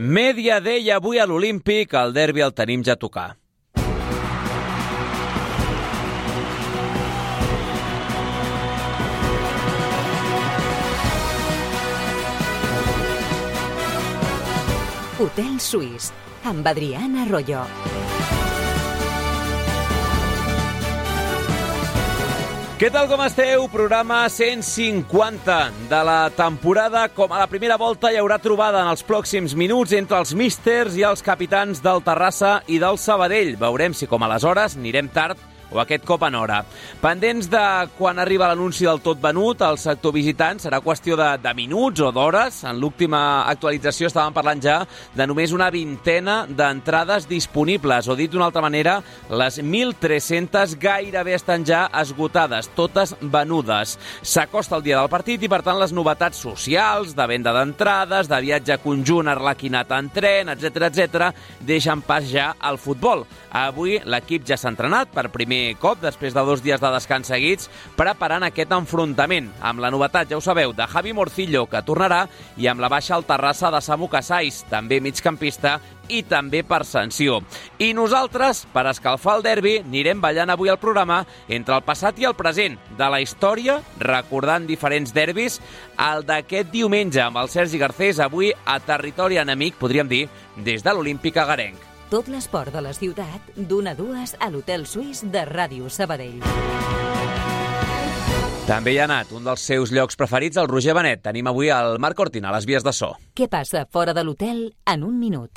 Media Day avui a l'Olímpic, el derbi el tenim ja a tocar. Hotel Suís, amb Adriana Arroyo. Què tal, com esteu? Programa 150 de la temporada. Com a la primera volta hi haurà trobada en els pròxims minuts entre els místers i els capitans del Terrassa i del Sabadell. Veurem si com aleshores anirem tard o aquest cop en hora. Pendents de quan arriba l'anunci del tot venut, el sector visitant serà qüestió de minuts o d'hores. En l'última actualització estàvem parlant ja de només una vintena d'entrades disponibles, o dit d'una altra manera, les 1.300 gairebé estan ja esgotades, totes venudes. S'acosta el dia del partit i, per tant, les novetats socials, de venda d'entrades, de viatge conjunt arlequinat en tren, etc., deixen pas ja al futbol. Avui l'equip ja s'ha entrenat per primer cop, després de 2 dies de descans seguits, preparant aquest enfrontament, amb la novetat, ja ho sabeu, de Javi Morcillo, que tornarà, i amb la baixa al Terrassa de Samu Casais, també migcampista i també per sanció. I nosaltres, per escalfar el derbi, anirem ballant avui al programa entre el passat i el present de la història, recordant diferents derbis, el d'aquest diumenge amb el Sergi Garcés, avui a territori enemic, podríem dir, des de l'Olímpic agarenc. Tot l'esport de la ciutat, d'1 a 2 a l'Hotel Suís de Ràdio Sabadell. També hi ha anat un dels seus llocs preferits, el Roger Benet. Tenim avui el Marc Cortina a les vies de so. Què passa fora de l'hotel en un minut?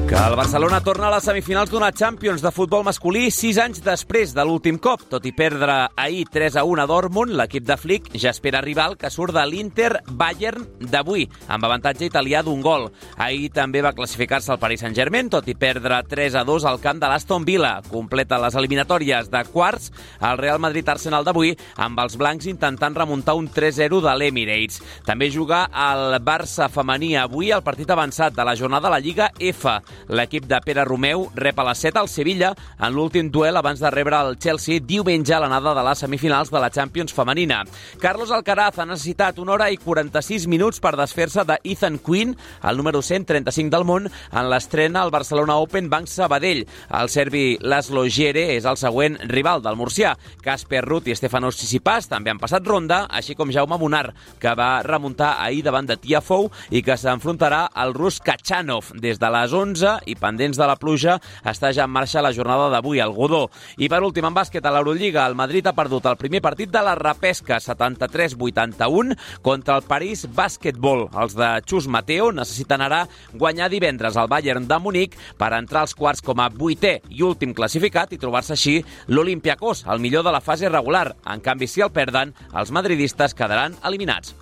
Que el Barcelona torna a les semifinals d'una Champions de futbol masculí 6 anys després de l'últim cop. Tot i perdre ahir 3-1 a Dortmund, l'equip de Flick ja espera rival que surt de l'Inter Bayern d'avui, amb avantatge italià d'1 gol. Ahir també va classificar-se el Paris Saint-Germain, tot i perdre 3-2 al camp de l'Aston Villa. Completa les eliminatòries de quarts el Real Madrid-Arsenal d'avui, amb els blancs intentant remuntar un 3-0 de l'Emirates. També juga el Barça femení avui al partit avançat de la jornada de la Lliga F. L'equip de Pere Romeu rep a les 7 al Sevilla en l'últim duel abans de rebre el Chelsea diumenge a l'anada de les semifinals de la Champions femenina. Carlos Alcaraz ha necessitat 1 hora i 46 minuts per desfer-se de Ethan Quinn, el número 135 del món, en l'estrena al Barcelona Open Banc Sabadell. El serbi Laszlo Djere és el següent rival del murcià. Casper Ruud i Stefanos Tsitsipas també han passat ronda, així com Jaume Munar, que va remuntar ahir davant de Tiafoe i que s'enfrontarà al rus Kachanov des de les 11 i pendents de la pluja està ja en marxa la jornada d'avui al Godó. I per últim, en bàsquet a l'Eurolliga, el Madrid ha perdut el primer partit de la repesca 73-81 contra el París Basketball. Els de Chus Mateo necessiten ara guanyar divendres al Bayern de Munic per entrar als quarts com a 8è i últim classificat i trobar-se així l'Olympiacos, el millor de la fase regular. En canvi, si el perden, els madridistes quedaran eliminats.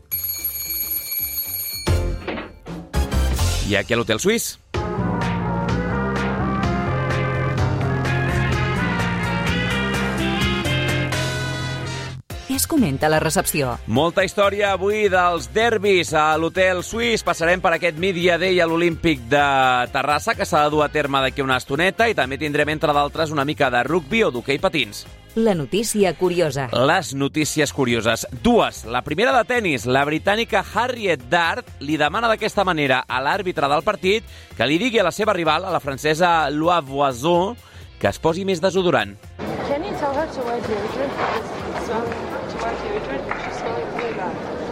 I aquí a l'Hotel Suís. Què es comenta a la recepció? Molta història avui dels derbis a l'Hotel Suís. Passarem per aquest Media Day a l'Olímpic de Terrassa, que s'ha de dur a terme d'aquí una estoneta, i també tindrem, entre d'altres, una mica de rugbi o d'hoquei patins. La notícia curiosa. Les notícies curioses. Dues. La primera de tennis. La britànica Harriet Dart li demana d'aquesta manera a l'àrbitre del partit que li digui a la seva rival, a la francesa Loa Voisin, que es posi més desodorant. Can you tell her to wear deodorant?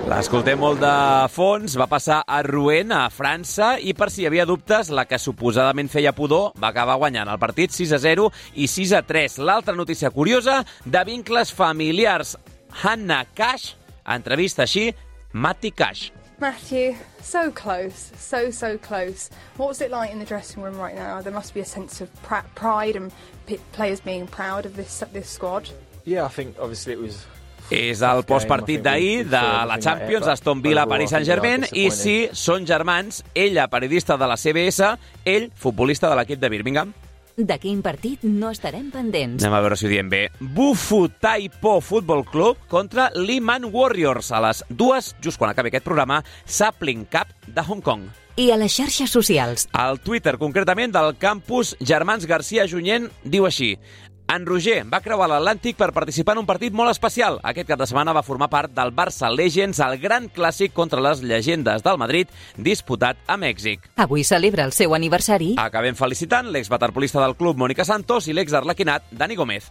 L'escoltem molt de fons, va passar a Rouen, a França, i per si hi havia dubtes, la que suposadament feia pudor va acabar guanyant el partit 6-0 i 6-3. L'altra notícia curiosa, de vincles familiars. Hannah Cash entrevista així Matty Cash. Matthew, so close, so close. What was it like in the dressing room right now? There must be a sense of pride and players being proud of this squad. Yeah, I think obviously it was... És el postpartit d'ahir de la Champions, Aston Villa, Paris Saint-Germain, i sí, són germans, ella periodista de la CBS, ell futbolista de l'equip de Birmingham. De quin partit no estarem pendents? Anem a veure si ho diem bé. Bufu Taipo Football Club contra Lehman Warriors a les 2, just quan acabi aquest programa, Sapling Cup de Hong Kong. I a les xarxes socials? El Twitter, concretament, del campus Germans Garcia Junyent, diu així: En Roger va creuar l'Atlàntic per participar en un partit molt especial. Aquest cap de setmana va formar part del Barça Legends, el gran clàssic contra les llegendes del Madrid, disputat a Mèxic. Avui celebra el seu aniversari. Acabem felicitant l'exwaterpolista del club, Mònica Santos, i l'exarlequinat, Dani Gómez.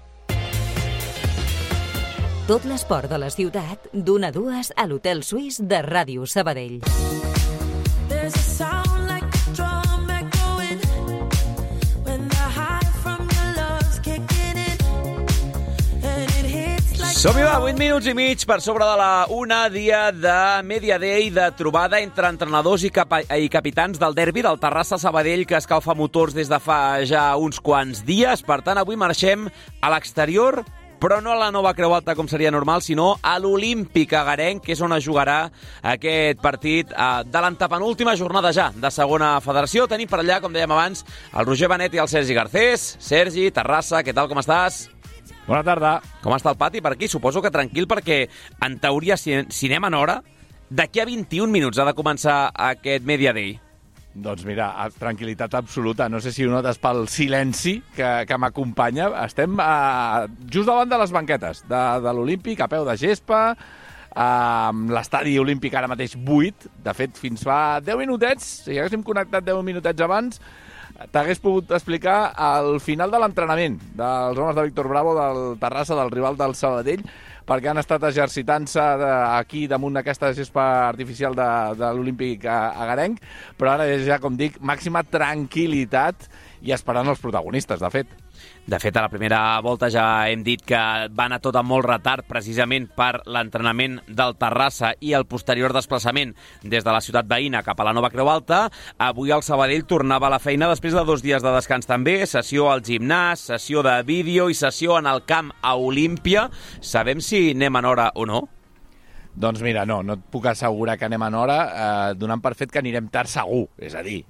Tot l'esport de la ciutat, d'1 a 2 a l'Hotel Suís de Ràdio Sabadell. Som-hi, va, 8 minuts i mig per sobre de la 1, dia de Media Day, de trobada entre entrenadors i capitans del derbi del Terrassa-Sabadell, que escalfa motors des de fa ja uns quants dies. Per tant, avui marxem a l'exterior, però no a la nova Creu Alta, com seria normal, sinó a l'Olímpic agarenc, que és on es jugarà aquest partit de l'antepenúltima jornada ja de segona federació. Tenim per allà, com dèiem abans, el Roger Benet i el Sergi Garcés. Sergi, Terrassa, què tal, com estàs? Bona tarda. Com està el pati per aquí? Suposo que tranquil, perquè en teoria, si anem en hora, d'aquí a 21 minuts ha de començar aquest Media Day. Doncs mira, tranquil·litat absoluta. No sé si ho notes pel silenci que m'acompanya. Estem just davant de les banquetes de l'Olímpic, a peu de gespa, l'estadi olímpic ara mateix buit. De fet, fins fa 10 minutets, si haguéssim connectat 10 minutets abans, t'hagués pogut explicar el final de l'entrenament dels homes de Víctor Bravo, del Terrassa, del rival del Sabadell, perquè han estat exercitant-se aquí damunt d'aquesta gespa artificial de l'Olímpic agarenc, però ara és ja, com dic, màxima tranquil·litat i esperant els protagonistes, de fet. De fet, a la primera volta ja hem dit que va anar tot amb molt retard, precisament per l'entrenament del Terrassa i el posterior desplaçament des de la ciutat veïna cap a la nova Creu Alta. Avui el Sabadell tornava a la feina després de 2 dies de descans també, sessió al gimnàs, sessió de vídeo i sessió en el camp a Olímpia. Sabem si anem en hora o no? Doncs mira, no et puc assegurar que anem en hora, donant per fet que anirem tard segur, és a dir,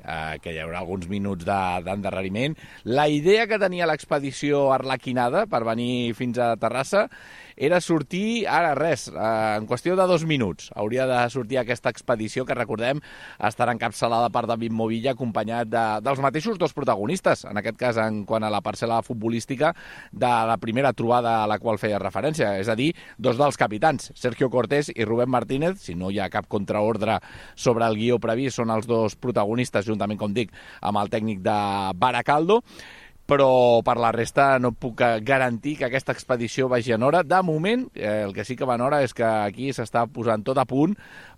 que hi haurà alguns minuts d'endarreriment. La idea que tenia l'expedició arlequinada per venir fins a Terrassa era sortir, ara res, en qüestió de 2 minuts. Hauria de sortir aquesta expedició que, recordem, estarà encapçalada per David Movilla, acompanyat dels mateixos 2 protagonistes, en aquest cas en quant a la parcel·la futbolística de la primera trobada a la qual feia referència, és a dir, 2 dels capitans, Sergio Cortés i Rubén Martínez. Si no hi ha cap contraordre sobre el guió previst, són els 2 protagonistes, juntament, com dic, amb el tècnic de Baracaldo. Però per la resta no puc garantir que aquesta expedició vagi en hora. De moment, el que sí que va en hora és que aquí s'està posant tot a punt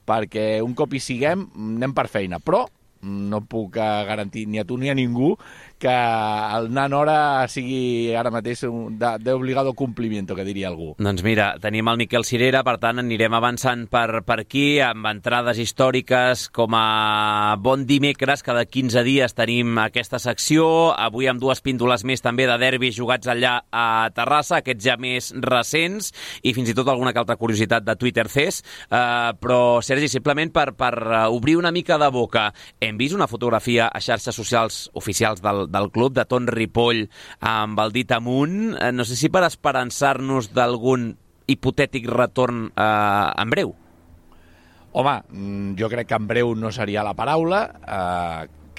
perquè un cop hi siguem anem per feina. Però no puc garantir ni a tu ni a ningú que el anar en hora sigui ara mateix d'obligado complimiento, que diria algú. Doncs mira, tenim el Miquel Cirera, per tant anirem avançant per aquí, amb entrades històriques com a bon dimecres. Cada 15 dies tenim aquesta secció, avui amb 2 píndoles més també de derbis jugats allà a Terrassa, aquests ja més recents, i fins i tot alguna que altra curiositat de Twitter fes. Però, Sergi, simplement per obrir una mica de boca, hem vist una fotografia a xarxes socials oficials del club, de Ton Ripoll amb el dit amunt. No sé si per esperançar-nos d'algun hipotètic retorn en breu. Home, jo crec que en breu no seria la paraula,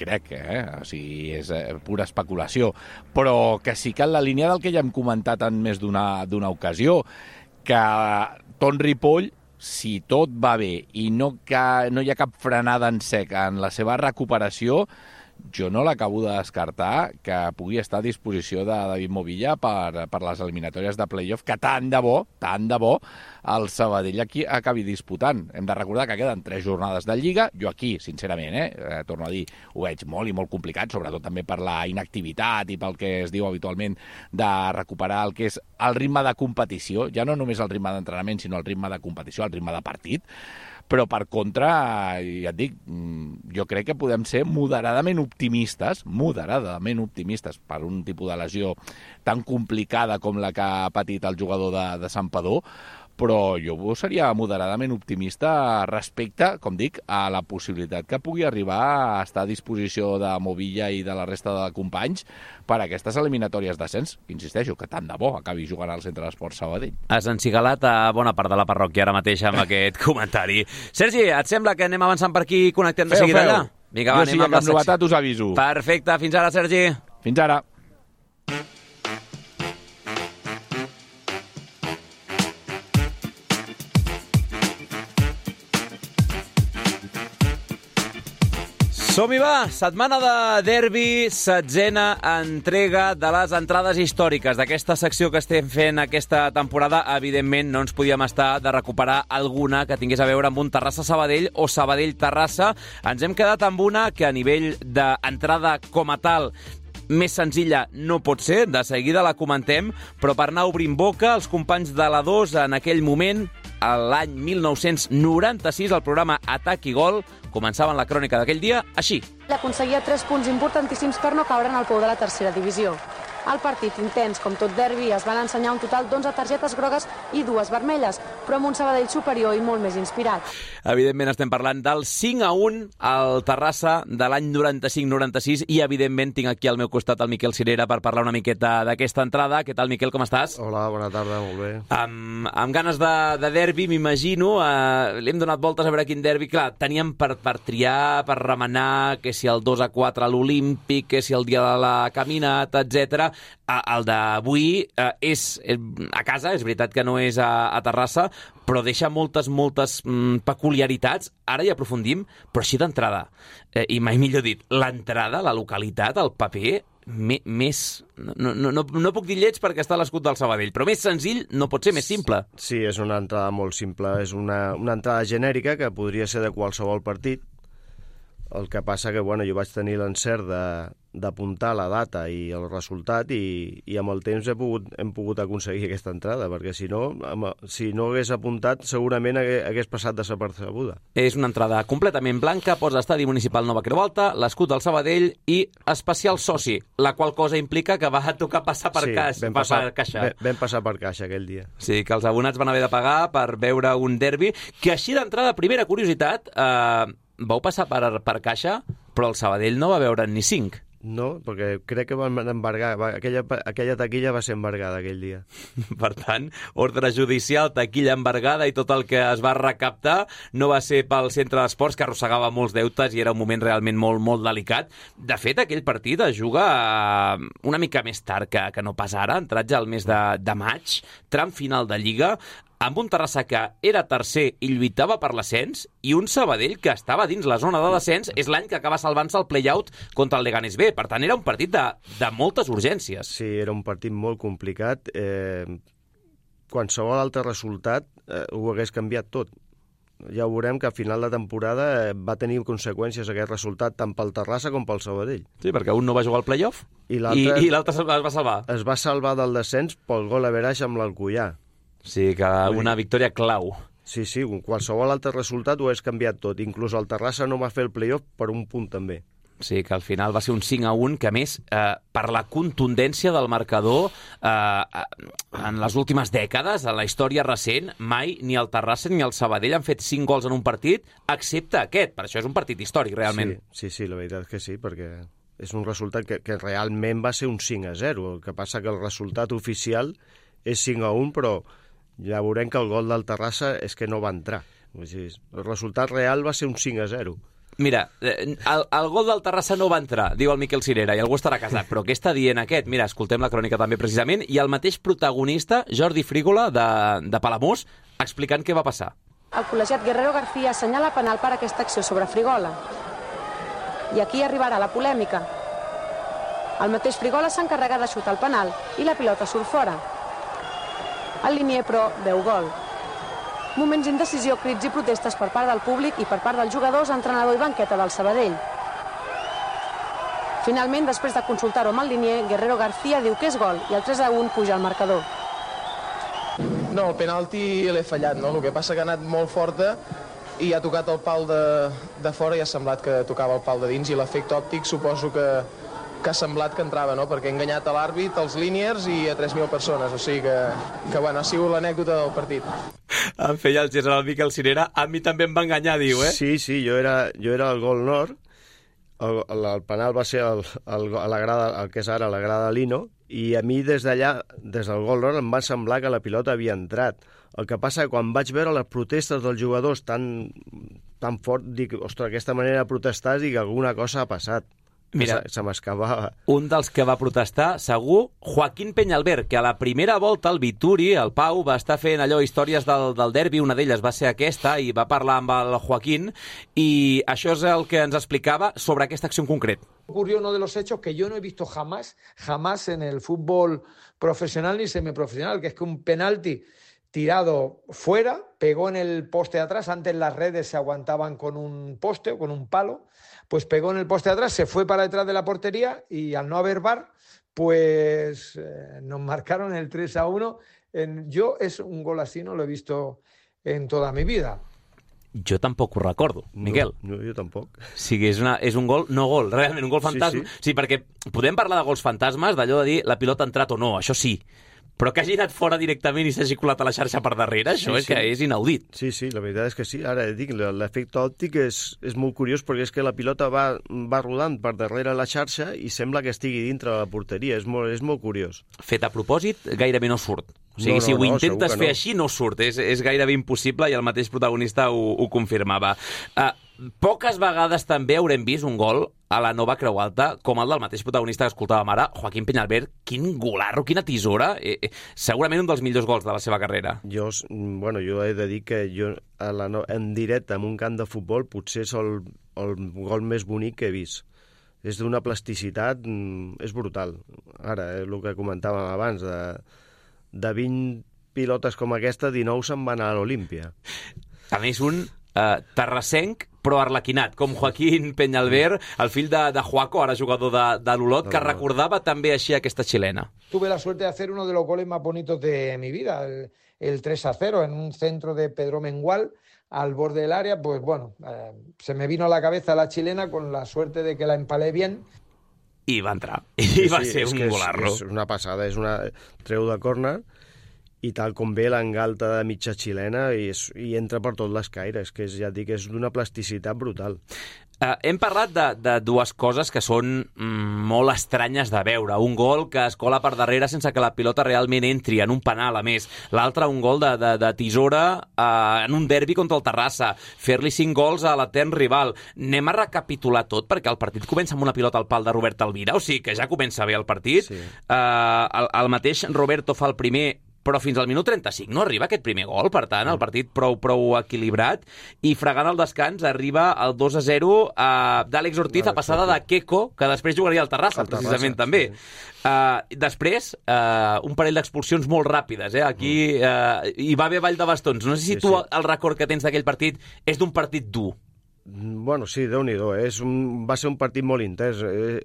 crec, o sigui, és pura especulació, però que sí que en la línia del que ja hem comentat en més d'una ocasió, que Ton Ripoll, si tot va bé i no hi ha cap frenada en sec en la seva recuperació, jo no l'acabo de descartar que pugui estar a disposició de David Movilla per les eliminatòries de playoff, que tant de bo el Sabadell aquí acabi disputant. Hem de recordar que queden 3 jornades de Lliga. Jo aquí, sincerament, torno a dir, ho veig molt i molt complicat, sobretot també per la inactivitat i pel que es diu habitualment de recuperar el que és el ritme de competició, ja no només el ritme d'entrenament, sinó el ritme de competició, el ritme de partit. Però, per contra, ja et dic, jo crec que podem ser moderadament optimistes per un tipus de lesió tan complicada com la que ha patit el jugador de Santpedor, però jo seria moderadament optimista respecte, com dic, a la possibilitat que pugui arribar a estar a disposició de Movilla i de la resta de companys per a aquestes eliminatòries d'ascens. Insisteixo, que tant de bo acabi jugant al Centre d'Esports Sabadell. Has encigalat a bona part de la parròquia ara mateix amb aquest comentari. Sergi, et sembla que anem avançant per aquí i connectem de seguida allà? Vinga, va, jo si hi ha cap novetat us aviso. Perfecte, fins ara, Sergi. Fins ara. Som-hi, va! Setmana de derbi, 16a entrega de les entrades històriques d'aquesta secció que estem fent aquesta temporada. Evidentment, no ens podíem estar de recuperar alguna que tingués a veure amb un Terrassa-Sabadell o Sabadell-Terrassa. Ens hem quedat amb una que a nivell d'entrada com a tal més senzilla no pot ser, de seguida la comentem, però per anar obrint boca, els companys de la 2 en aquell moment, l'any 1996, el programa Atac i Gol, començaven la crònica d'aquell dia així. Aconseguia 3 punts importantíssims per no caure en el pou de la tercera divisió. El partit intens, com tot derbi, es van ensenyar un total d'11 targetes grogues i 2 vermelles, però amb un Sabadell superior i molt més inspirat. Evidentment estem parlant del 5-1 al Terrassa de l'any 95-96 i evidentment tinc aquí al meu costat el Miquel Cirera per parlar una miqueta d'aquesta entrada. Què tal, Miquel, com estàs? Hola, bona tarda, molt bé. Amb ganes de derbi, m'imagino. Li hem donat voltes a veure quin derbi. Clar, teníem per triar, per remenar, que si el 2-4 a l'Olímpic, que si el dia de la caminata, etc. El d'avui és a casa, és veritat que no és a Terrassa, però deixa moltes peculiaritats. Ara hi aprofundim, però així d'entrada. I mai millor dit, l'entrada, la localitat, el paper, més... No puc dir lleig perquè està a l'escut del Sabadell, però més senzill no pot ser més simple. Sí, és una entrada molt simple. És una entrada genèrica que podria ser de qualsevol partit. El que passa que, bueno, jo vaig tenir l'encert d'apuntar la data i el resultat i amb el temps hem pogut aconseguir aquesta entrada, perquè si no hagués apuntat segurament hagués passat desapercebuda. És una entrada completament blanca, posa Estadi Municipal Nova Creu Alta, l'escut del Sabadell i especial soci, la qual cosa implica que va tocar passar per caixa. Vam passar per caixa aquell dia. Sí, que els abonats van haver de pagar per veure un derbi, que així d'entrada, primera curiositat, vau passar per caixa, però el Sabadell no va veure ni 5. No, perquè crec que van embargar. Aquella taquilla va ser embargada aquell dia. Per tant, ordre judicial, taquilla embargada i tot el que es va recaptar no va ser pel centre d'esports, que arrossegava molts deutes i era un moment realment molt, molt delicat. De fet, aquell partit es juga una mica més tard que no pas ara, entrat ja al mes de maig, tram final de Lliga, amb un Terrassa que era tercer i lluitava per l'ascens, i un Sabadell que estava dins la zona de descens. És l'any que acaba salvant-se el play-out contra el Leganés B. Per tant, era un partit de moltes urgències. Sí, era un partit molt complicat. Qualsevol altre resultat ho hagués canviat tot. Ja ho veurem que a final de temporada va tenir conseqüències aquest resultat tant pel Terrassa com pel Sabadell. Sí, perquè un no va jugar al play-off i l'altre es va salvar. Es va salvar del descens pel gol average amb l'Alcoià. Sí, que una victòria clau. Sí, qualsevol altre resultat ho hagués canviat tot. Inclús el Terrassa no va fer el play-off per un punt també. Sí, que al final va ser un 5-1, que a més, per la contundència del marcador, en les últimes dècades, en la història recent, mai ni el Terrassa ni el Sabadell han fet 5 gols en un partit, excepte aquest. Per això és un partit històric, realment. Sí, la veritat és que sí, perquè és un resultat que realment va ser un 5-0. El que passa que el resultat oficial és 5-1, però ja veurem que el gol del Terrassa és que no va entrar. El resultat real va ser un 5-0. Mira, el gol del Terrassa no va entrar, diu el Miquel Cirera, i algú estarà casat. Però què està dient aquest? Mira, escoltem la crònica també precisament, i el mateix protagonista, Jordi Frígola, de Palamós, explicant què va passar. El col·legiat Guerrero García assenyala penal per aquesta acció sobre Frigola. I aquí arribarà la polèmica. El mateix Frigola s'encarrega de xutar el penal i la pilota surt fora. El linier, però, veu gol. Moments d'indecisió, crits i protestes per part del públic i per part dels jugadors, entrenador i banqueta del Sabadell. Finalment, després de consultar-ho amb el linier, Guerrero García diu que és gol i el 3-1 puja al marcador. No, el penalti l'he fallat, no? El que passa que ha anat molt forta i ha tocat el pal de fora i ha semblat que tocava el pal de dins, i l'efecte òptic suposo que ha semblat que entrava, no? Perquè ha enganyat a l'àrbit, als líniers i a 3.000 persones. O sigui que bueno, ha sigut l'anècdota del partit. Em feia el gest al Miquel Cirera. A mi també em va enganyar, diu, eh? Sí, jo era al gol nord. El penal va ser a la grada, el que és ara la grada Lino, i a mi des d'allà, des del gol nord, em va semblar que la pilota havia entrat. El que passa que quan vaig veure les protestes dels jugadors tan fort, dic, ostres, aquesta manera de protestar, dic, alguna cosa ha passat. Mira, se m'escapava. Un dels que va protestar, segur, Joaquín Peñalver, que a la primera volta el Vituri, el Pau, va estar fent allò històries del derbi, una d'elles va ser aquesta, i va parlar amb el Joaquín, i això és el que ens explicava sobre aquesta acció en concret. Ocurrió uno de los hechos que yo no he visto jamás en el fútbol profesional ni semiprofesional, que es que un penalti tirado fuera, pegó en el poste de atrás. Antes las redes se aguantaban con un poste o con un palo, pues pegó en el poste de atrás, se fue para detrás de la portería y al no haber VAR, pues nos marcaron el 3-1. Yo es un gol así, no lo he visto en toda mi vida. Jo tampoc ho recordo, Miquel. No, jo tampoc. O sigui, és un gol, no gol, realment, un gol fantasma. Sí, perquè podem parlar de gols fantasmes, d'allò de dir la pilota ha entrat o no, això sí. Però que hagi anat fora directament i s'hagi colat a la xarxa per darrere, això és que és inaudit. Sí, la veritat és que sí. Ara dic, l'efecte òptic és molt curiós perquè és que la pilota va rodant per darrere la xarxa i sembla que estigui dintre de la porteria. És molt curiós. Fet a propòsit, gairebé no surt. O sigui, si ho intentes fer així, no surt. És gairebé impossible i el mateix protagonista ho confirmava. Poques vegades també haurem vist un gol a la Nova Creu Alta, com el del mateix protagonista que escoltàvem ara, Joaquín Peñalver. Quin golarro, quina tisora. Segurament un dels millors gols de la seva carrera. Jo he de dir que en directe, en un camp de futbol, potser és el gol més bonic que he vist. És d'una plasticitat, és brutal. Ara, el que comentàvem abans, de 20 pilotes com aquesta, 19 se'n van a l'Olímpia. A més, un terrassenc, però arlequinat, com Joaquín Peñalver, el fill de Joaco, ara jugador de l'Olot, que recordava també així aquesta xilena. Tuve la suerte de hacer uno de los goles más bonitos de mi vida, el 3-0, en un centro de Pedro Mengual, al borde del área. Pues bueno, se me vino a la cabeza la chilena con la suerte de que la empalé bien. I va entrar, i va ser un golarro. És una passada, treu de córner, i tal com ve l'engalta de mitja xilena i entra per tot l'escaire. És que ja et dic, és d'una plasticitat brutal. Hem parlat de dues coses que són molt estranyes de veure. Un gol que es cola per darrere sense que la pilota realment entri, en un penal, a més. L'altre, un gol de tisora en un derbi contra el Terrassa. Fer-li 5 gols a l'etern rival. Anem a recapitular tot, perquè el partit comença amb una pilota al pal de Robert Alvira, o sigui que ja comença bé el partit. Sí. El mateix Roberto fa el primer, però fins al minut 35 no arriba aquest primer gol, per tant, el partit prou equilibrat, i fregant el descans arriba el 2-0 d'Àlex Ortiz a passada de Queco, que després jugaria al Terrassa, precisament, també. Després, un parell d'expulsions molt ràpides, aquí hi va haver ball de bastons. No sé si tu el record que tens d'aquell partit és d'un partit dur. Bueno, sí, Déu-n'hi-do. Va ser un partit molt intens.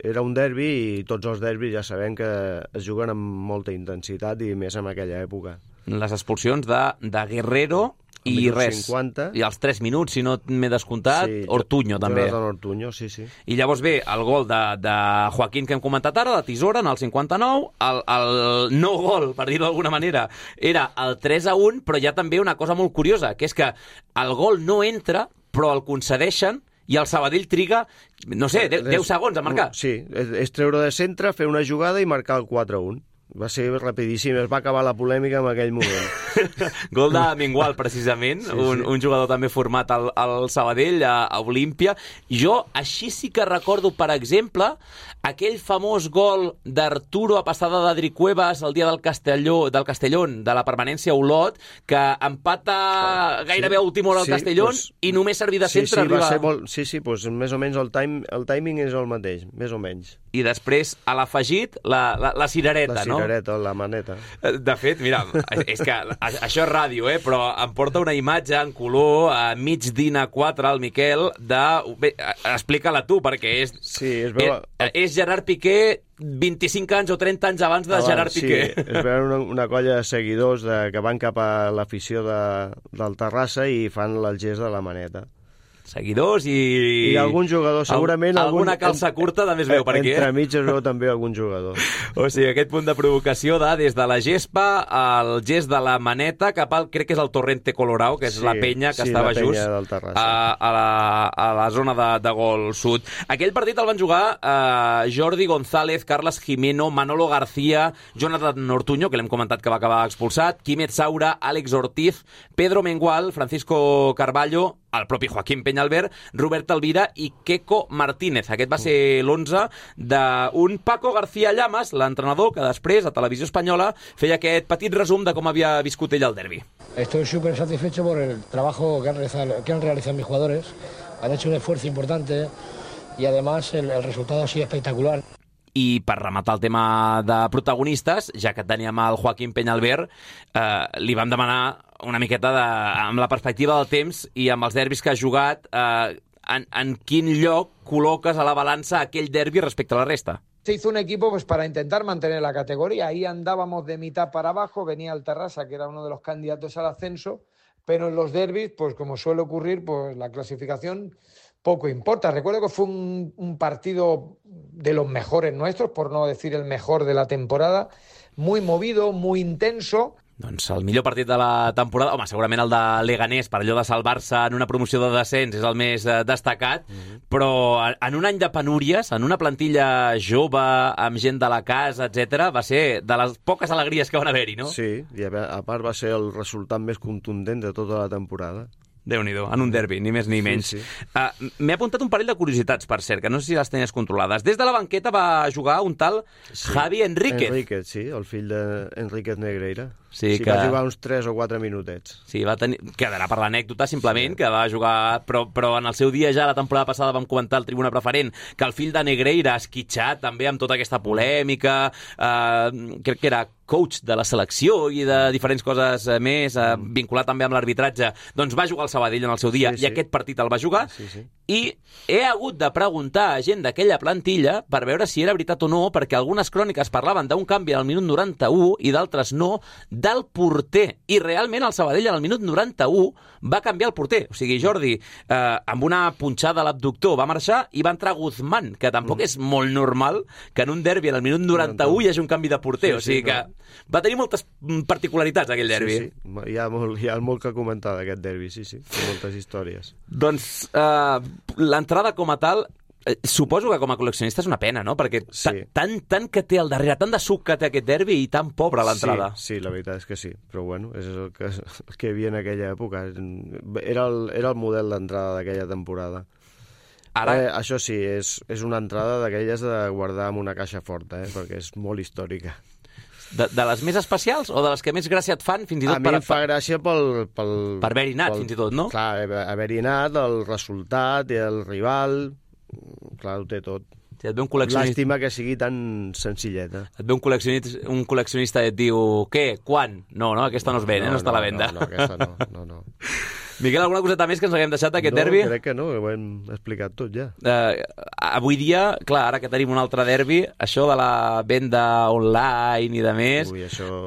Era un derbi i tots els derbis ja sabem que es juguen amb molta intensitat i més en aquella època. Les expulsions de Guerrero i res. 50. I als 3 minuts, si no m'he descomptat, sí, Ortuño també. Ortuño, sí. I llavors ve el gol de Joaquín que hem comentat ara, de tisora, en el 59. El no gol, per dir-ho d'alguna manera, era el 3-1, però hi ha també una cosa molt curiosa, que és que el gol no entra, però el concedeixen i el Sabadell triga, no sé, 10 segons a marcar. Sí, és treure de centre, fer una jugada i marcar el 4-1. Va ser rapidíssim, es va acabar la polèmica en aquell moment. Gol de Mengual, precisament, un jugador també format al Sabadell, a Olímpia. Jo així sí que recordo, per exemple, aquell famós gol d'Arturo a passada d'Adri Cuevas el dia del Castellón, de la permanència a Olot, que empata gairebé a última hora al Castellón i només servir de centre arriba... Doncs més o menys el timing és el mateix, més o menys. I després, a l'afegit, la cirereta, no? La maneta. De fet, mira, és que això és ràdio, però em porta una imatge en color a mig DIN A4 al Miquel de... Explica-la tu, perquè és... Sí, és Gerard Piqué 25 anys o 30 anys abans de Gerard Piqué. Sí, es veuen una colla de seguidors que van cap a l'afició del Terrassa i fan el gest de la maneta. Seguidors i algun jugador, segurament... Alguna calça curta també es veu per aquí, Entremig es veu també algun jugador. O sigui, aquest punt de provocació des de la gespa al gest de la maneta cap al, crec que és el Torrente Colorado, que és la penya que estava just a la zona de gol sud. Aquell partit el van jugar Jordi González, Carles Jimeno, Manolo García, Jonathan Ortuño, que l'hem comentat que va acabar expulsat, Quimet Saura, Àlex Ortiz, Pedro Mengual, Francisco Carballo, el propi Joaquín Peñalver, Robert Alvira i Queco Martínez. Aquest va ser l'11 d'un Paco García Llamas, l'entrenador que després a Televisió Espanyola feia aquest petit resum de com havia viscut ell el derbi. Estoy súper satisfecho por el trabajo que han realizado mis jugadores. Han hecho un esfuerzo importante y además el resultado ha sido espectacular. I per rematar el tema de protagonistes, ja que teníem el Joaquín Peñalver, li vam demanar una miqueta amb la perspectiva del temps i amb els derbis que ha jugat, en quin lloc col·loques a la balança aquell derbi respecte a la resta? Se hizo un equipo pues para intentar mantener la categoría. Ahí andábamos de mitad para abajo, venía el Terrassa, que era uno de los candidatos al ascenso, pero en los derbis, pues como suele ocurrir, pues la clasificación poco importa. Recuerdo que fue un partido de los mejores nuestros, por no decir el mejor de la temporada, muy movido, muy intenso. Doncs el millor partit de la temporada, home, segurament el de Leganés, per allò de salvar-se en una promoció de descens, és el més destacat, però en un any de penúries, en una plantilla jove, amb gent de la casa, etc, va ser de les poques alegries que van haver-hi, no? Sí, i a part va ser el resultat més contundent de tota la temporada. Déu-n'hi-do, en un derbi, ni més ni menys. Sí. M'he apuntat un parell de curiositats, per cert, que no sé si les tenies controlades. Des de la banqueta va jugar un tal Javi Enríquez. Enríquez, sí, el fill d'Enríquez Negreira. Sí, que... va jugar uns 3 o 4 minutets. Sí, quedarà per l'anècdota, simplement, que va jugar... Però en el seu dia ja, la temporada passada, vam comentar al Tribuna Preferent que el fill de Negreira, esquitxat també amb tota aquesta polèmica, crec que era coach de la selecció i de diferents coses més, vinculat també amb l'arbitratge, doncs va jugar al Sabadell en el seu dia, i aquest partit el va jugar, i he hagut de preguntar a gent d'aquella plantilla per veure si era veritat o no, perquè algunes cròniques parlaven d'un canvi al minut 91 i d'altres no, del porter. I realment el Sabadell al minut 91 va canviar el porter. O sigui, Jordi, amb una punxada a l'abductor va marxar i va entrar Guzmán, que tampoc és molt normal que en un derbi al minut 91 hi hagi un canvi de porter. O sigui que va tenir moltes particularitats aquell derbi. Sí, sí. Hi ha molt que comentar d'aquest derbi, sí. Moltes històries. Doncs l'entrada com a tal, suposo que com a col·leccionista és una pena, no? Perquè tant que té al darrere, tant de suc que té aquest derbi i tan pobra l'entrada. Sí, la veritat és que sí. Però bueno, és el que hi havia en aquella època. Era el model d'entrada d'aquella temporada. Ara... això sí, és una entrada d'aquelles de guardar en una caixa forta, perquè és molt històrica. De les més especials o de les que més gràcia et fan, fins i tot a mi em fa gràcia per haver-hi anat, fins i tot, no? Clar, haver-hi anat, el resultat i el rival, clar, ho té tot. Si et ve un col·leccionista... Làstima que sigui tan senzilleta. Et ve un col·leccionista i et diu, què, quan? No, aquesta no es ven, no està a la venda. No, aquesta no. Miquel, alguna coseta més que ens haguem deixat d'aquest derbi? No, crec que no, ho hem explicat tot ja. Avui dia, clar, ara que tenim un altre derbi, això de la venda online i de més,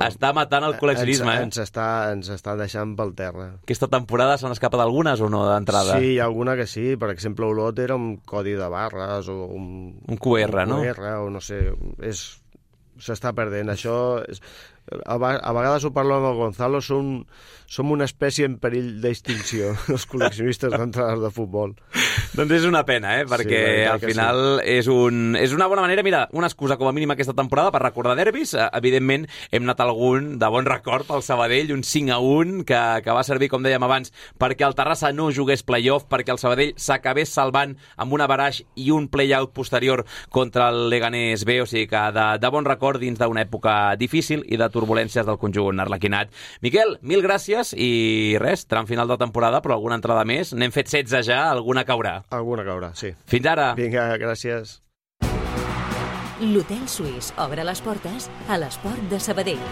està matant el col·leccionisme. Ens està deixant pel terra. Aquesta temporada s'han escapat algunes o no d'entrada? Sí, hi ha alguna que sí. Per exemple, Olot era un codi de barres o un QR, no? Un QR, o no sé, s'està perdent. Això... A vegades ho parlo amb el Gonzalo, som una espècie en perill d'extinció, els col·leccionistes d'entrades de futbol. Doncs és una pena, perquè al final és una bona manera, mira, una excusa com a mínim aquesta temporada per recordar derbis. Evidentment hem anat algun de bon record pel Sabadell, un 5-1 que va servir, com dèiem abans, perquè el Terrassa no jugués play-off, perquè el Sabadell s'acabés salvant amb un averaix i un play-out posterior contra el Leganés B, o sigui que de bon record dins d'una època difícil i de turbulències del conjunt arlequinat. Miquel, mil gràcies i res, tram final de temporada, però alguna entrada més. N'hem fet 16 ja, alguna caurà. Alguna caurà, sí. Fins ara. Vinga, gràcies. L'Hotel Suís obre les portes a l'Esport de Sabadell.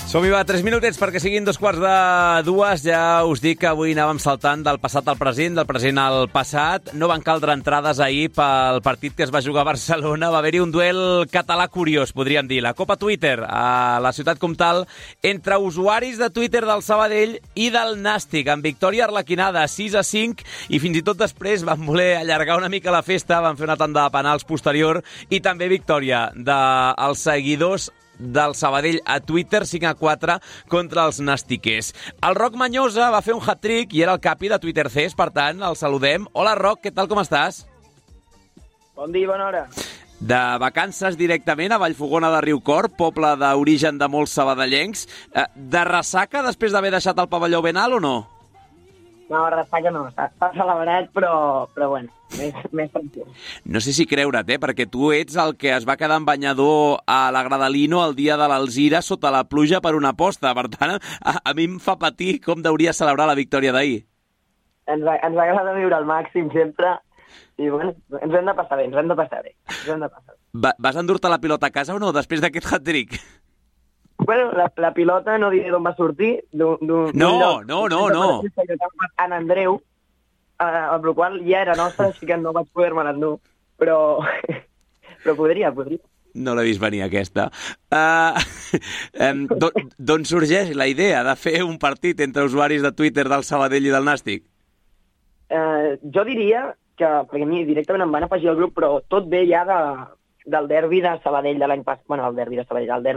Som-hi, va, 3 minutets perquè siguin 2:45. Ja us dic que avui anàvem saltant del passat al present, del present al passat. No van caldre entrades ahir pel partit que es va jugar a Barcelona. Va haver-hi un duel català curiós, podríem dir. La Copa Twitter a la ciutat comtal entre usuaris de Twitter del Sabadell i del Nàstic, amb victòria arlequinada 6-5, i fins i tot després van voler allargar una mica la festa, van fer una tanda de penals posterior, i també victòria dels seguidors del Sabadell a Twitter, 5-4 contra els nàstiquers. El Roc Manyosa va fer un hat-trick i era el capi de Twitter CES, per tant, el saludem. Hola, Roc, què tal, com estàs? Bon dia, bona hora. De vacances directament a Vallfogona de Riucorb, poble d'origen de molts sabadellencs. De ressaca després d'haver deixat el pavelló ben alt o no? No, ressaca no, està celebrat, però bueno, més tranquil. No sé si creure't, perquè tu ets el que es va quedar en banyador a la Gradalino el dia de l'Alzira sota la pluja per una aposta. Per tant, a mi em fa patir com deuria celebrar la victòria d'ahir. Ens agrada viure al màxim sempre i bueno, ens hem de passar bé. Vas endur-te la pilota a casa o no, després d'aquest hat-trick? Bueno, la pilota no diré d'on va sortir. No. En Andreu, amb la qual ja era nostra, així que no vaig poder-me l'endur, però podria. No l'he vist venir, aquesta. D'on sorgeix la idea de fer un partit entre usuaris de Twitter del Sabadell i del Nàstic? Jo diria que, perquè a mi directament em van afegir al grup, però tot ve ja del derbi de Sabadell de l'any passat. Bueno, el derbi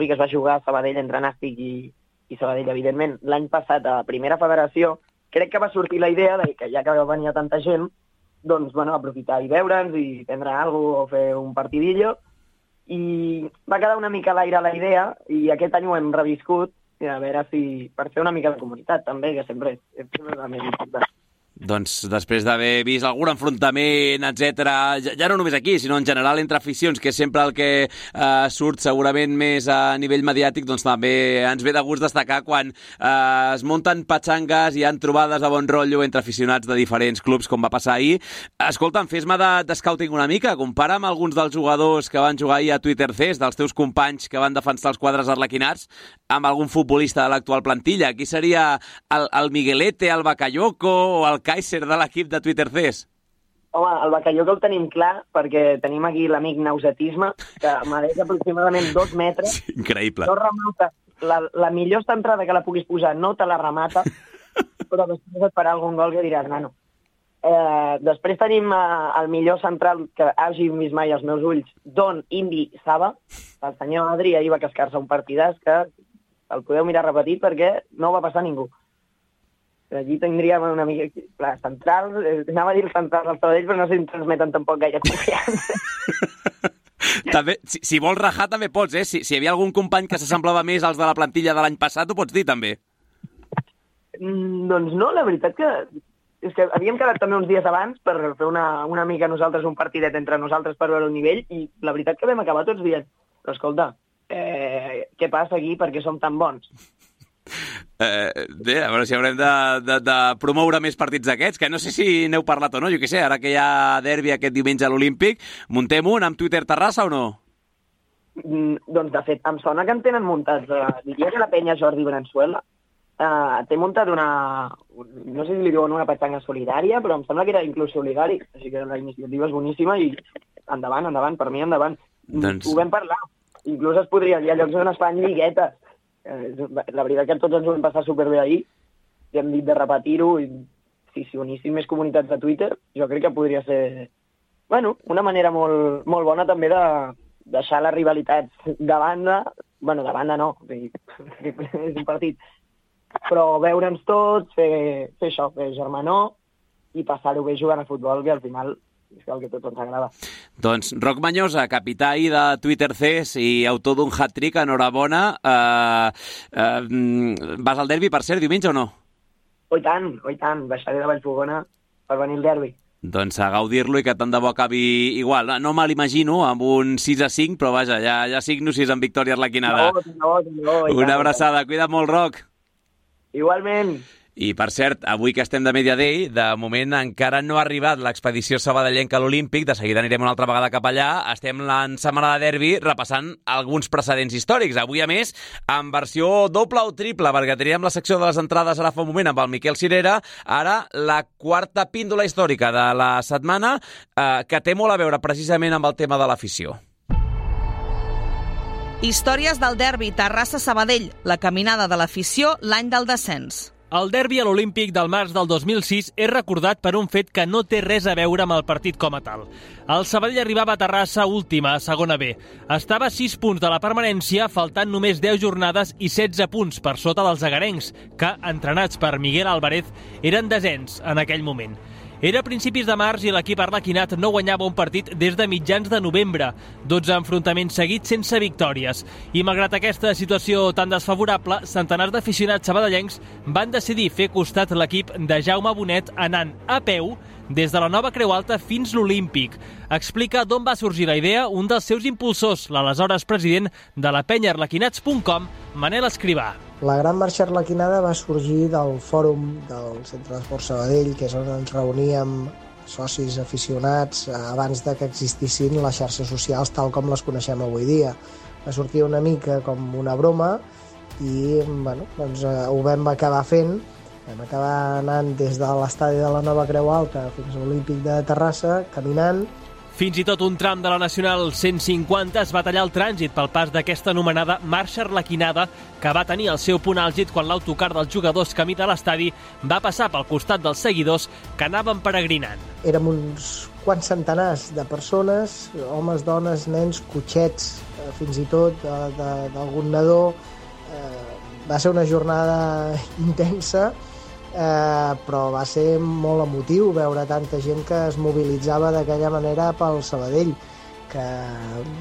que es va jugar a Sabadell entre Nàstic i Sabadell, evidentment. L'any passat a Primera Federació crec que va sortir la idea de que ja que venia tanta gent, doncs, bueno, aprofitar i veure'ns i prendre alguna cosa o fer un partidillo. I va quedar una mica a l'aire la idea i aquest any ho hem reviscut a veure si per fer una mica de comunitat també, que sempre és la més important. Doncs després d'haver vist algun enfrontament, etc., ja no només aquí, sinó en general entre aficions, que és sempre el que surt segurament més a nivell mediàtic, doncs també ens ve de gust destacar quan es munten patxangues i hi ha trobades de bon rotllo entre aficionats de diferents clubs, com va passar ahir. Escolta'm, fes-me de scouting una mica, compara amb alguns dels jugadors que van jugar ahir a Twitter CES, dels teus companys que van defensar els quadres arlequinats, amb algun futbolista de l'actual plantilla. Qui seria el Miguelete, el Bakayoko o el Kaiser de l'equip de Twitter CES? Home, el Bakayoko el tenim clar perquè tenim aquí l'amic Nausetisme, que medeix aproximadament 2 metres. Sí, increïble. No remata. La millor centrada que la puguis posar no te la remata, però després et farà algun gol que diràs, nano. Després tenim el millor central que hagi vist mai als meus ulls, Don Indi Saba. El senyor Adri ahir va cascar-se un partidàs que el podeu mirar repetit perquè no va passar ningú. Allí tindríem una mica... Clar, central, anava a dir el central del Sabadell, però no sé si transmeten tampoc gaire confiança. També, si vols rajar també pots, Si hi havia algun company que s'assemblava més als de la plantilla de l'any passat, ho pots dir també. Doncs no, la veritat que... És que havíem quedat també uns dies abans per fer una mica nosaltres un partidet entre nosaltres per veure el nivell i la veritat que vam acabar tots dient però escolta, què passa aquí perquè som tan bons? Bé, a veure si haurem de promoure més partits d'aquests, que no sé si n'heu parlat o no, jo què sé, ara que hi ha derbi aquest diumenge a l'Olímpic, muntem un amb Twitter Terrassa o no? Doncs de fet, em sona que en tenen muntats, diria que la penya Jordi Branzuela té muntat no sé si li diuen una petxanga solidària, però em sembla que era inclús solidari, així que la iniciativa és boníssima i endavant, per mi endavant. Doncs... Ho vam parlar, inclús hi ha llocs on es fan lliguetes. La veritat que tots ens ho vam passar superbé ahir i hem dit de repetir-ho i si unissin més comunitats de Twitter jo crec que podria ser una manera molt, molt bona també de deixar les rivalitats de banda, de banda no, és un partit, però veure'ns tots, fer això, fer germanor i passar-ho bé jugant a futbol, que al final és el que a tots ens agrada. Doncs Roc Manyosa, capità de Twitter CES i autor d'un hat-trick, enhorabona. Vas al derbi, per cert, diumenge o no? I tant, baixaré de Vallfogona per venir al derbi. Doncs a gaudir-lo i que tant de bo acabi igual. No me l'imagino amb un 6-5, però vaja, ja signo si és amb victòria arlequinada. No, una abraçada, cuida't molt, Roc. Igualment. I, per cert, avui que estem de Media Day, de moment encara no ha arribat l'expedició sabadellenca a l'Olímpic, de seguida anirem una altra vegada cap allà, estem en setmana de derbi repassant alguns precedents històrics. Avui, a més, en versió doble o triple, perquè teníem la secció de les entrades ara fa un moment amb el Miquel Cirera, ara la quarta píndola històrica de la setmana, que té molt a veure precisament amb el tema de l'afició. Històries del derbi Terrassa-Sabadell, la caminada de l'afició l'any del descens. El derbi a l'Olímpic del març del 2006 és recordat per un fet que no té res a veure amb el partit com a tal. El Sabadell arribava a Terrassa última, a segona B. Estava a 6 punts de la permanència, faltant només 10 jornades i 16 punts per sota dels agarencs, que, entrenats per Miguel Álvarez, eren desens en aquell moment. Era a principis de març i l'equip arlequinat no guanyava un partit des de mitjans de novembre. 12 enfrontaments seguits sense victòries. I malgrat aquesta situació tan desfavorable, centenars d'aficionats sabadellencs van decidir fer costat l'equip de Jaume Bonet anant a peu des de la nova Creu Alta fins l'Olímpic. Explica d'on va sorgir la idea un dels seus impulsors, l'aleshores president de la penya arlequinats.com, Manel Escrivà. La Gran Marxa Arlequinada va sorgir del fòrum del Centre d'Esport Sabadell, que és on ens reuníem socis aficionats abans de que existissin les xarxes socials tal com les coneixem avui dia. Va sortir una mica com una broma i ho vam acabar fent. Vam acabar anant des de l'estadi de la Nova Creu Alta fins a l'Olímpic de Terrassa, caminant. Fins i tot un tram de la Nacional 150 es va tallar el trànsit pel pas d'aquesta anomenada Marxa Arlequinada, que va tenir el seu punt àlgid quan l'autocar dels jugadors camí de l'estadi va passar pel costat dels seguidors que anaven peregrinant. Érem uns quants centenars de persones, homes, dones, nens, cotxets, fins i tot d'algun nadó. Va ser una jornada intensa, però va ser molt emotiu veure tanta gent que es mobilitzava d'aquella manera pel Sabadell, que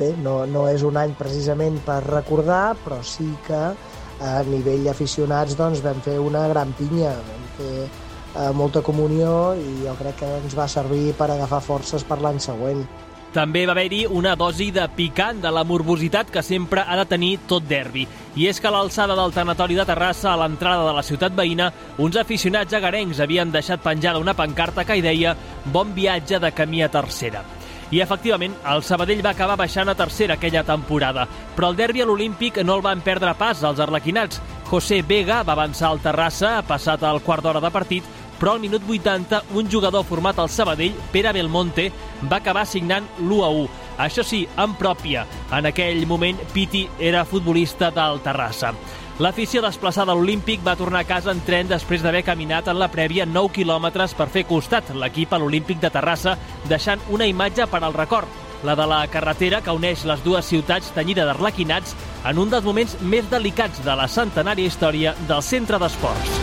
bé, no és un any precisament per recordar, però sí que a nivell d'aficionats doncs, vam fer una gran pinya, vam fer molta comunió i jo crec que ens va servir per agafar forces per l'any següent. També va haver-hi una dosi de picant de la morbositat que sempre ha de tenir tot derbi. I és que a l'alçada del tanatori de Terrassa, a l'entrada de la ciutat veïna, uns aficionats agarencs havien deixat penjada una pancarta que hi deia «Bon viatge de camí a Tercera». I, efectivament, el Sabadell va acabar baixant a Tercera aquella temporada. Però el derbi a l'Olímpic no el van perdre pas els arlequinats. José Vega va avançar al Terrassa, passat el quart d'hora de partit, però al minut 80 un jugador format al Sabadell, Pere Belmonte, va acabar signant l'1-1. Això sí, en pròpia. En aquell moment, Piti era futbolista del Terrassa. L'afició desplaçada a l'Olímpic va tornar a casa en tren després d'haver caminat en la prèvia 9 quilòmetres per fer costat l'equip a l'Olímpic de Terrassa, deixant una imatge per al record, la de la carretera que uneix les dues ciutats tenyida d'arlequinats en un dels moments més delicats de la centenària història del centre d'esports.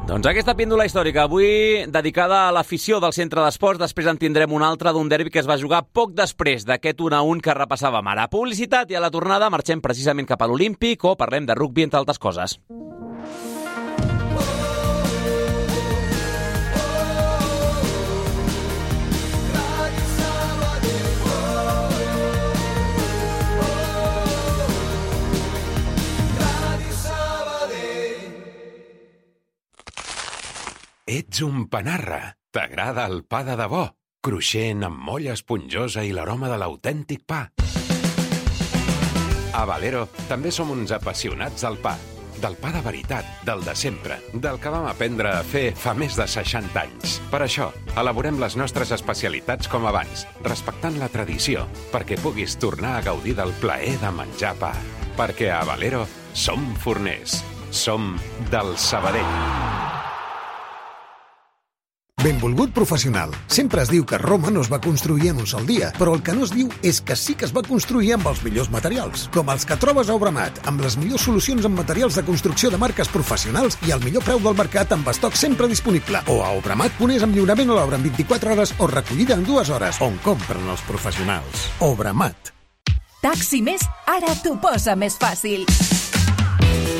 Doncs aquesta píndola històrica, avui dedicada a l'afició del centre d'esports. Després en tindrem una altra d'un derbi que es va jugar poc després d'aquest 1-1 que repassàvem ara. Publicitat i a la tornada marxem precisament cap a l'Olímpic o parlem de rugbi, entre altres coses. Ets un panarra. T'agrada el pa de debò? Cruixent, amb molla esponjosa i l'aroma de l'autèntic pa. A Valero també som uns apassionats del pa. Del pa de veritat, del de sempre, del que vam aprendre a fer fa més de 60 anys. Per això, elaborem les nostres especialitats com abans, respectant la tradició, perquè puguis tornar a gaudir del plaer de menjar pa. Perquè a Valero som forners. Som del Sabadell. Benvolgut professional. Sempre es diu que Roma no es va construir en un sol dia, però el que no es diu és que sí que es va construir amb els millors materials, com els que trobes a Obramat, amb les millors solucions en materials de construcció de marques professionals i el millor preu del mercat amb estoc sempre disponible. O a Obramat.es amb lliurament a l'obra en 24 hores o recollida en 2 hores, on compren els professionals. Obramat. Taxi Més ara t'ho posa més fàcil.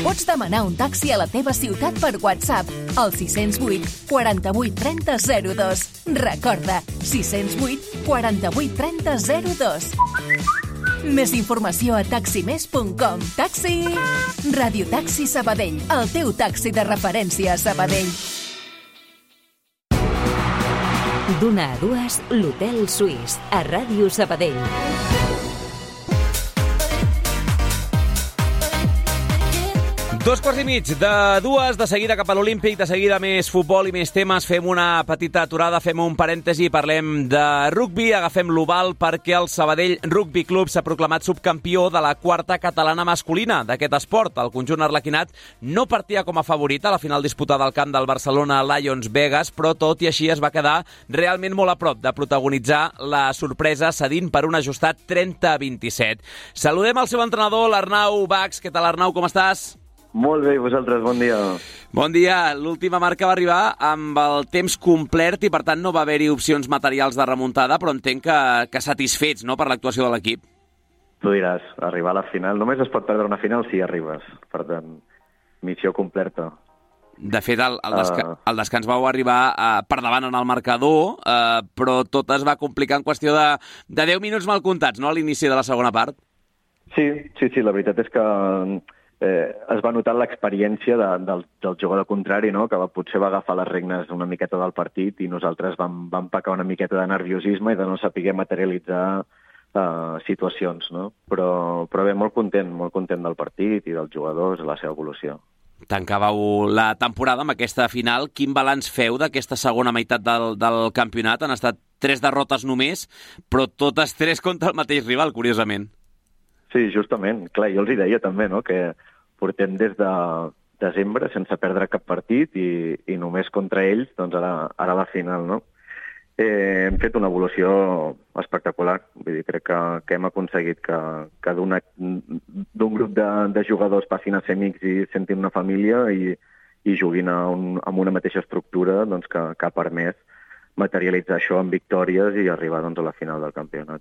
Pots demanar un taxi a la teva ciutat per WhatsApp al 608 48 30 02. Recorda, 608 48 30 02. Més informació a taximés.com. Taxi! Radiotaxi Sabadell, el teu taxi de referència a Sabadell. D'una a dues, l'Hotel Suís, a Ràdio Sabadell. 2:15 de 2, de seguida cap a l'Olímpic, de seguida més futbol i més temes. Fem una petita aturada, fem un parèntesi, parlem de rugbi, agafem l'oval perquè el Sabadell Rugby Club s'ha proclamat subcampió de la quarta catalana masculina d'aquest esport. El conjunt arlequinat no partia com a favorit a la final disputada al camp del Barcelona Lions Vegas, però tot i així es va quedar realment molt a prop de protagonitzar la sorpresa cedint per un ajustat 30-27. Saludem el seu entrenador, l'Arnau Bax. Què tal, Arnau, com estàs? Molt bé, vosaltres, bon dia. Bon dia. L'última marca va arribar amb el temps complet i, per tant, no va haver-hi opcions materials de remuntada, però entenc que satisfets, no?, per l'actuació de l'equip. Tu diràs, arribar a la final. Només es pot perdre una final si arribes. Per tant, missió completa. De fet, el descans vau arribar per davant en el marcador, però tot es va complicar en qüestió de 10 minuts mal comptats, no?, a l'inici de la segona part. Sí, la veritat és que es va notar l'experiència del jugador contrari, no?, que potser va agafar les regnes una miqueta del partit i nosaltres vam pecar una miqueta de nerviosisme i de no saber materialitzar situacions, no? Però bé, molt content del partit i dels jugadors, la seva evolució. Tancàveu la temporada amb aquesta final. Quin balanç feu d'aquesta segona meitat del campionat? Han estat 3 derrotes només, però totes 3 contra el mateix rival, curiosament. Sí, justament. Clar, jo els hi deia també, no?, que portem des de desembre sense perdre cap partit i només contra ells, doncs ara la final, no? Hem fet una evolució espectacular. Vull dir, crec que hem aconseguit que d'un grup de jugadors passin a ser amics i sentin una família i juguin amb una mateixa estructura, doncs, que ha permès materialitzar això en victòries i arribar, doncs, a la final del campionat.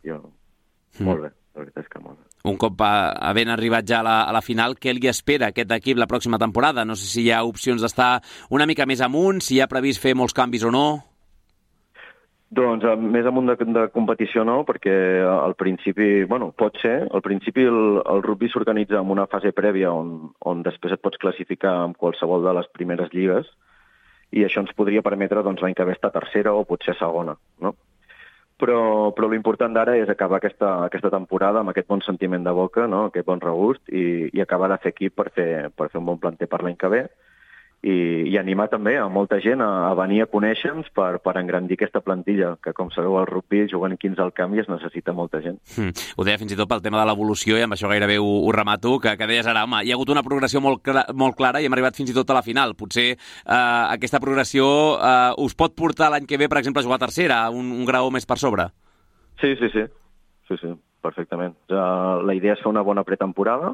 Molt bé, la veritat és que molt bé. Un cop havent arribat ja a la final, què li espera a aquest equip la pròxima temporada? No sé si hi ha opcions d'estar una mica més amunt, si hi ha previst fer molts canvis o no. Doncs més amunt de competició no, perquè al principi, pot ser, al principi el rugby s'organitza en una fase prèvia on després et pots classificar en qualsevol de les primeres lligues i això ens podria permetre, doncs, l'any que ve estar tercera o potser segona, no? Però l'important d'ara és acabar aquesta temporada amb aquest bon sentiment de boca, no?, aquest bon regust i acabar de fer equip per fer un bon planter per l'any que ve i animar també a molta gent a venir a conèixer-nos per engrandir aquesta plantilla, que com sabeu al rugby jugant 15 al camp i es necessita molta gent. Ho deia fins i tot pel tema de l'evolució i amb això gairebé ho remato, que deies ara, home, hi ha hagut una progressió molt clara i hem arribat fins i tot a la final. Potser aquesta progressió us pot portar l'any que ve, per exemple, a jugar a tercera, un grau més per sobre. Sí, perfectament. La idea és fer una bona pretemporada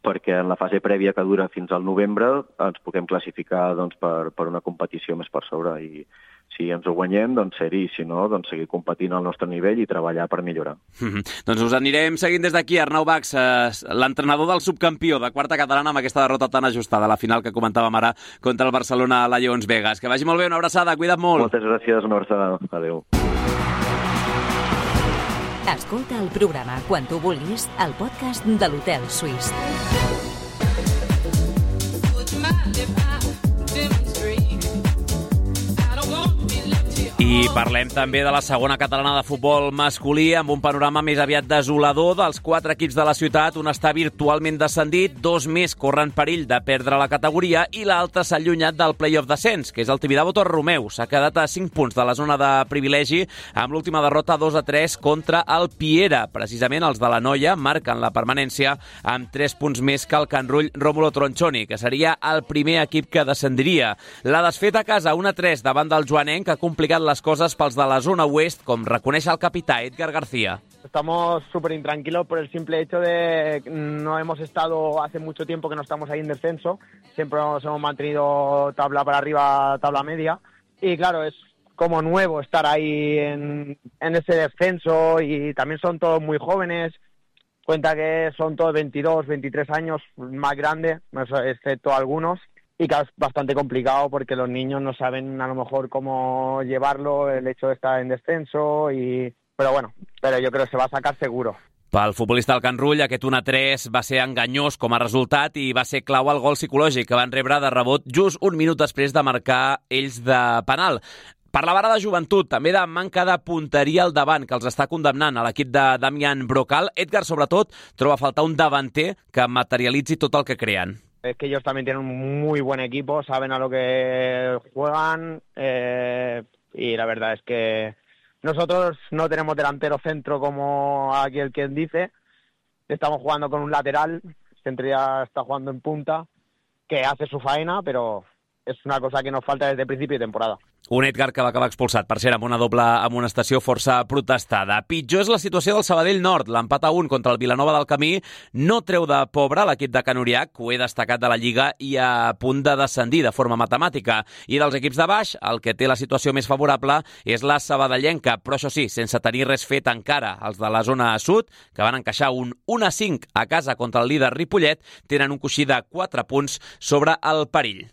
perquè en la fase prèvia que dura fins al novembre ens puguem classificar, doncs, per una competició més per sobre i si ens ho guanyem, doncs ser-hi, i si no, doncs seguir competint al nostre nivell i treballar per millorar. Doncs us anirem seguint des d'aquí. Arnau Bachs, l'entrenador del subcampió de quarta catalana amb aquesta derrota tan ajustada a la final que comentàvem ara contra el Barcelona a la Lleons Vegas. Que vagi molt bé, una abraçada, cuida't molt. Moltes gràcies, una abraçada. Adéu. Escolta el programa quan tu vulguis al podcast de l'Hotel Suís. I parlem també de la segona catalana de futbol masculí amb un panorama més aviat desolador dels 4 equips de la ciutat. Un està virtualment descendit, 2 més corren perill de perdre la categoria i l'altre s'ha allunyat del play-off descens, que és el Tibidabo Torromeu. S'ha quedat a 5 punts de la zona de privilegi amb l'última derrota 2-3 contra el Piera. Precisament els de la Noia marquen la permanència amb 3 punts més que el Can Rull Rómulo Tronchoni, que seria el primer equip que descendiria. La desfeta a casa 1-3 davant del Joanenc ha complicat les cosas pels de la zona oest, com reconeix el capità Edgar García. Estamos súper intranquilos por el simple hecho de que no hemos estado hace mucho tiempo que no estamos ahí en descenso, siempre nos hemos mantenido tabla para arriba, tabla media, y claro, es como nuevo estar ahí en ese descenso y también son todos muy jóvenes, cuenta que son todos 22, 23 años, más grandes, excepto algunos. Y que es bastante complicado porque los niños no saben a lo mejor cómo llevarlo, el hecho de estar en descenso, pero yo creo que se va a sacar seguro. Pel futbolista del Can Rull, aquest 1-3 va ser enganyós com a resultat i va ser clau el gol psicològic que van rebre de rebot just un minut després de marcar ells de penal. Parlava ara de joventut, també de manca de punteria al davant, que els està condemnant a l'equip de Damián Brocal. Edgar, sobretot, troba a faltar un davanter que materialitzi tot el que creen. Es que ellos también tienen un muy buen equipo, saben a lo que juegan y la verdad es que nosotros no tenemos delantero centro como aquí el quien dice, estamos jugando con un lateral, Centría está jugando en punta, que hace su faena, pero es una cosa que nos falta desde el principio de temporada. Un Edgar que va acabar expulsat, per cert, amb una doble amonestació força protestada. Pitjor és la situació del Sabadell Nord. L'empat a 1 contra el Vilanova del Camí no treu de pobre l'equip de Can Uriach, que ho he destacat de la Lliga i a punt de descendir de forma matemàtica. I dels equips de baix, el que té la situació més favorable és la sabadellenca, però això sí, sense tenir res fet encara. Els de la zona sud, que van encaixar un 1-5 a casa contra el líder Ripollet, tenen un coixí de 4 punts sobre el perill.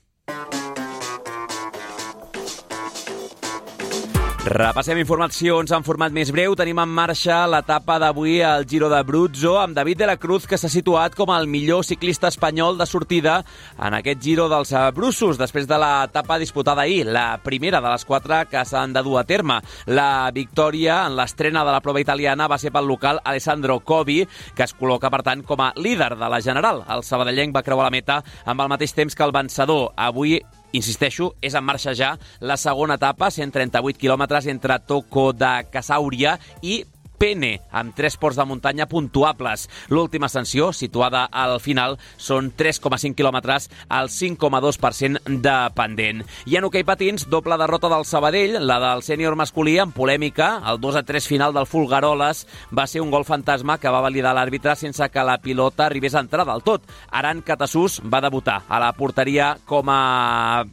Repassem informacions en format més breu. Tenim en marxa l'etapa d'avui al Giro d'Abruzzo amb David de la Cruz, que s'ha situat com el millor ciclista espanyol de sortida en aquest Giro dels Abruzos, després de l'etapa disputada ahir, la primera de les 4 que s'han de dur a terme. La victòria en l'estrena de la prova italiana va ser pel local Alessandro Covi, que es col·loca, per tant, com a líder de la general. El sabadellenc va creuar la meta amb el mateix temps que el vencedor. Avui, insisteixo, és en marxa ja la segona etapa, 138 quilòmetres entre Toco de Casauria i Pene, amb 3 ports de muntanya puntuables. L'última ascensió, situada al final, són 3,5 quilòmetres al 5,2% de pendent. I en hoquei patins, doble derrota del Sabadell, la del sènior masculí en polèmica. El 2-3 final del Folgueroles va ser un gol fantasma que va validar l'àrbitre sense que la pilota arribés a entrar del tot. Aran Catasús va debutar a la porteria com a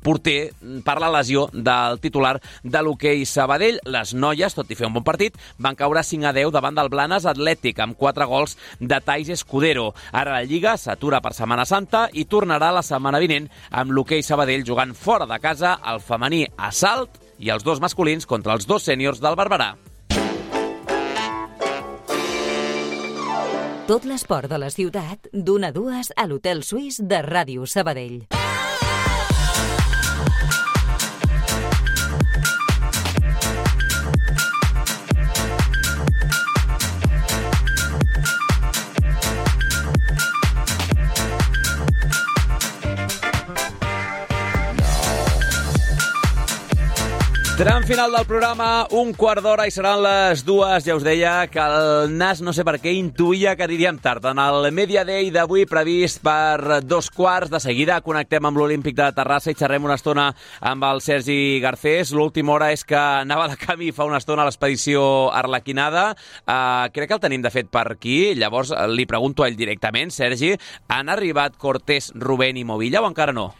porter per la lesió del titular de l'hoquei Sabadell. Les noies, tot i fer un bon partit, van caure 5-10 davant del Blanes Atlètic amb 4 gols de Thais Escudero. Ara la Lliga s'atura per Setmana Santa i tornarà la setmana vinent amb l'hoquei Sabadell jugant fora de casa el femení a Salt i els 2 masculins contra els 2 sèniors del Barberà. Tot l'esport de la ciutat d'1 a 2 a l'Hotel Suís de Ràdio Sabadell. Tram final del programa, 1/4 i seran les 2. Ja us deia que el Nas, no sé per què, intuïa que aniríem tard. En el Media Day d'avui, previst per 2:15, de seguida connectem amb l'Olímpic de Terrassa i xerrem una estona amb el Sergi Garcés. L'última hora és que anava de camí fa una estona a l'expedició Arlequinada. Crec que el tenim, de fet, per aquí. Llavors li pregunto a ell directament. Sergi, han arribat Cortés, Rubén i Movilla o encara no?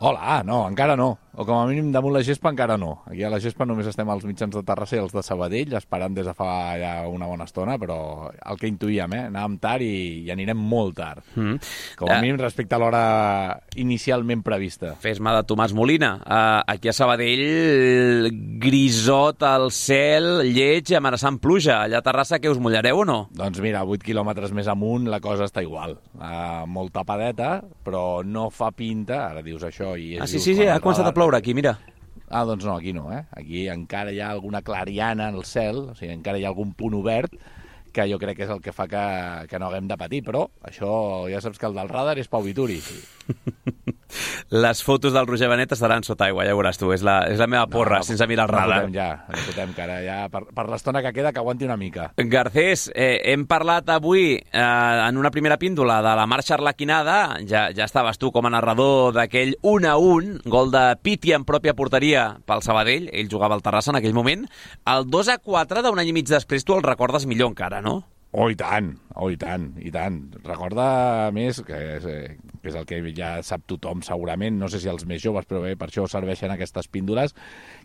Hola, no, encara no. O com a mínim damunt la gespa encara no. Aquí a la gespa només estem els mitjans de Terrassa i els de Sabadell, esperant des de fa ja una bona estona, però el que intuïem, anàvem tard i anirem molt tard. Com a mínim respecte a l'hora inicialment prevista. Fes-me de Tomàs Molina. Aquí a Sabadell, grisot al cel, lleig, amenaçant pluja. Allà a Terrassa, què us mullareu o no? Doncs mira, 8 quilòmetres més amunt la cosa està igual. Molt tapadeta, però no fa pinta, ara dius això i... Sí, ha començat a ploure aquí, mira. Doncs no, aquí no, Aquí encara hi ha alguna clariana en el cel, o sigui, encara hi ha algun punt obert que jo crec que és el que fa que no haguem de patir, però això ja saps que el del radar és Pau Vituri. Les fotos del Roger Benet estaran sota aigua, ja veuràs tu, és la meva porra, sense mirar el radar. No fotem, que ara ja per l'estona que queda que aguanti una mica. Garcés, hem parlat avui en una primera píndola de la marxa arlequinada, ja estaves tu com a narrador d'aquell 1-1, gol de Piti en pròpia porteria pel Sabadell, ell jugava al Terrassa en aquell moment, el 2-4 d'un any i mig després tu el recordes millor encara, no? Oh, i tant. Recorda més, que és el que ja sap tothom segurament, no sé si els més joves, però bé, per això serveixen aquestes píndoles,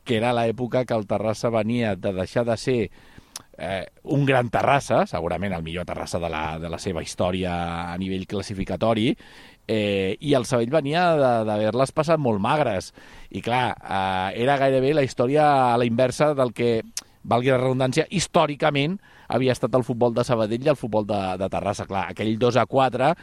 que era l'època que el Terrassa venia de deixar de ser un gran Terrassa, segurament el millor Terrassa de la seva història a nivell classificatori, i el Sabadell venia d'haver-les passat molt magres. I clar, era gairebé la història a la inversa del que, valgui la redundància, històricament havia estat el futbol de Sabadell i el futbol de Terrassa. Clar, aquell 2-4,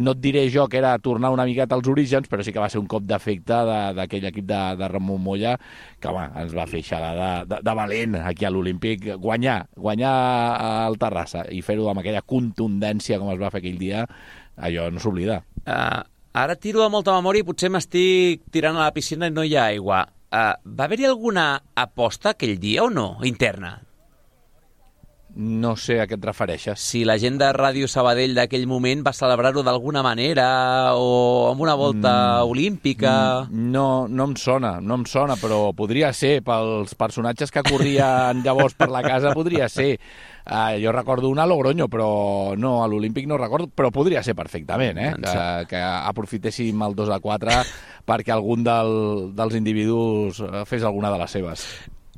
no et diré jo que era tornar una miqueta als orígens, però sí que va ser un cop d'efecte d'aquell equip de Ramon Molla, que home, ens va fer xalada de valent aquí a l'Olímpic. Guanyar al Terrassa i fer-ho amb aquella contundència com es va fer aquell dia, allò no s'oblida. Ara tiro de molta memòria i potser m'estic tirant a la piscina i no hi ha aigua. Va haver-hi alguna aposta aquell dia o no, interna? No sé a què et refereixes. Si la gent de Ràdio Sabadell d'aquell moment va celebrar-ho d'alguna manera o amb una volta olímpica... No em sona, però podria ser, pels personatges que corrien llavors per la casa, podria ser. Jo recordo una a Logroño, però no, a l'Olímpic no recordo, però podria ser perfectament, que aprofitéssim el 2-4 perquè algun dels individus fes alguna de les seves.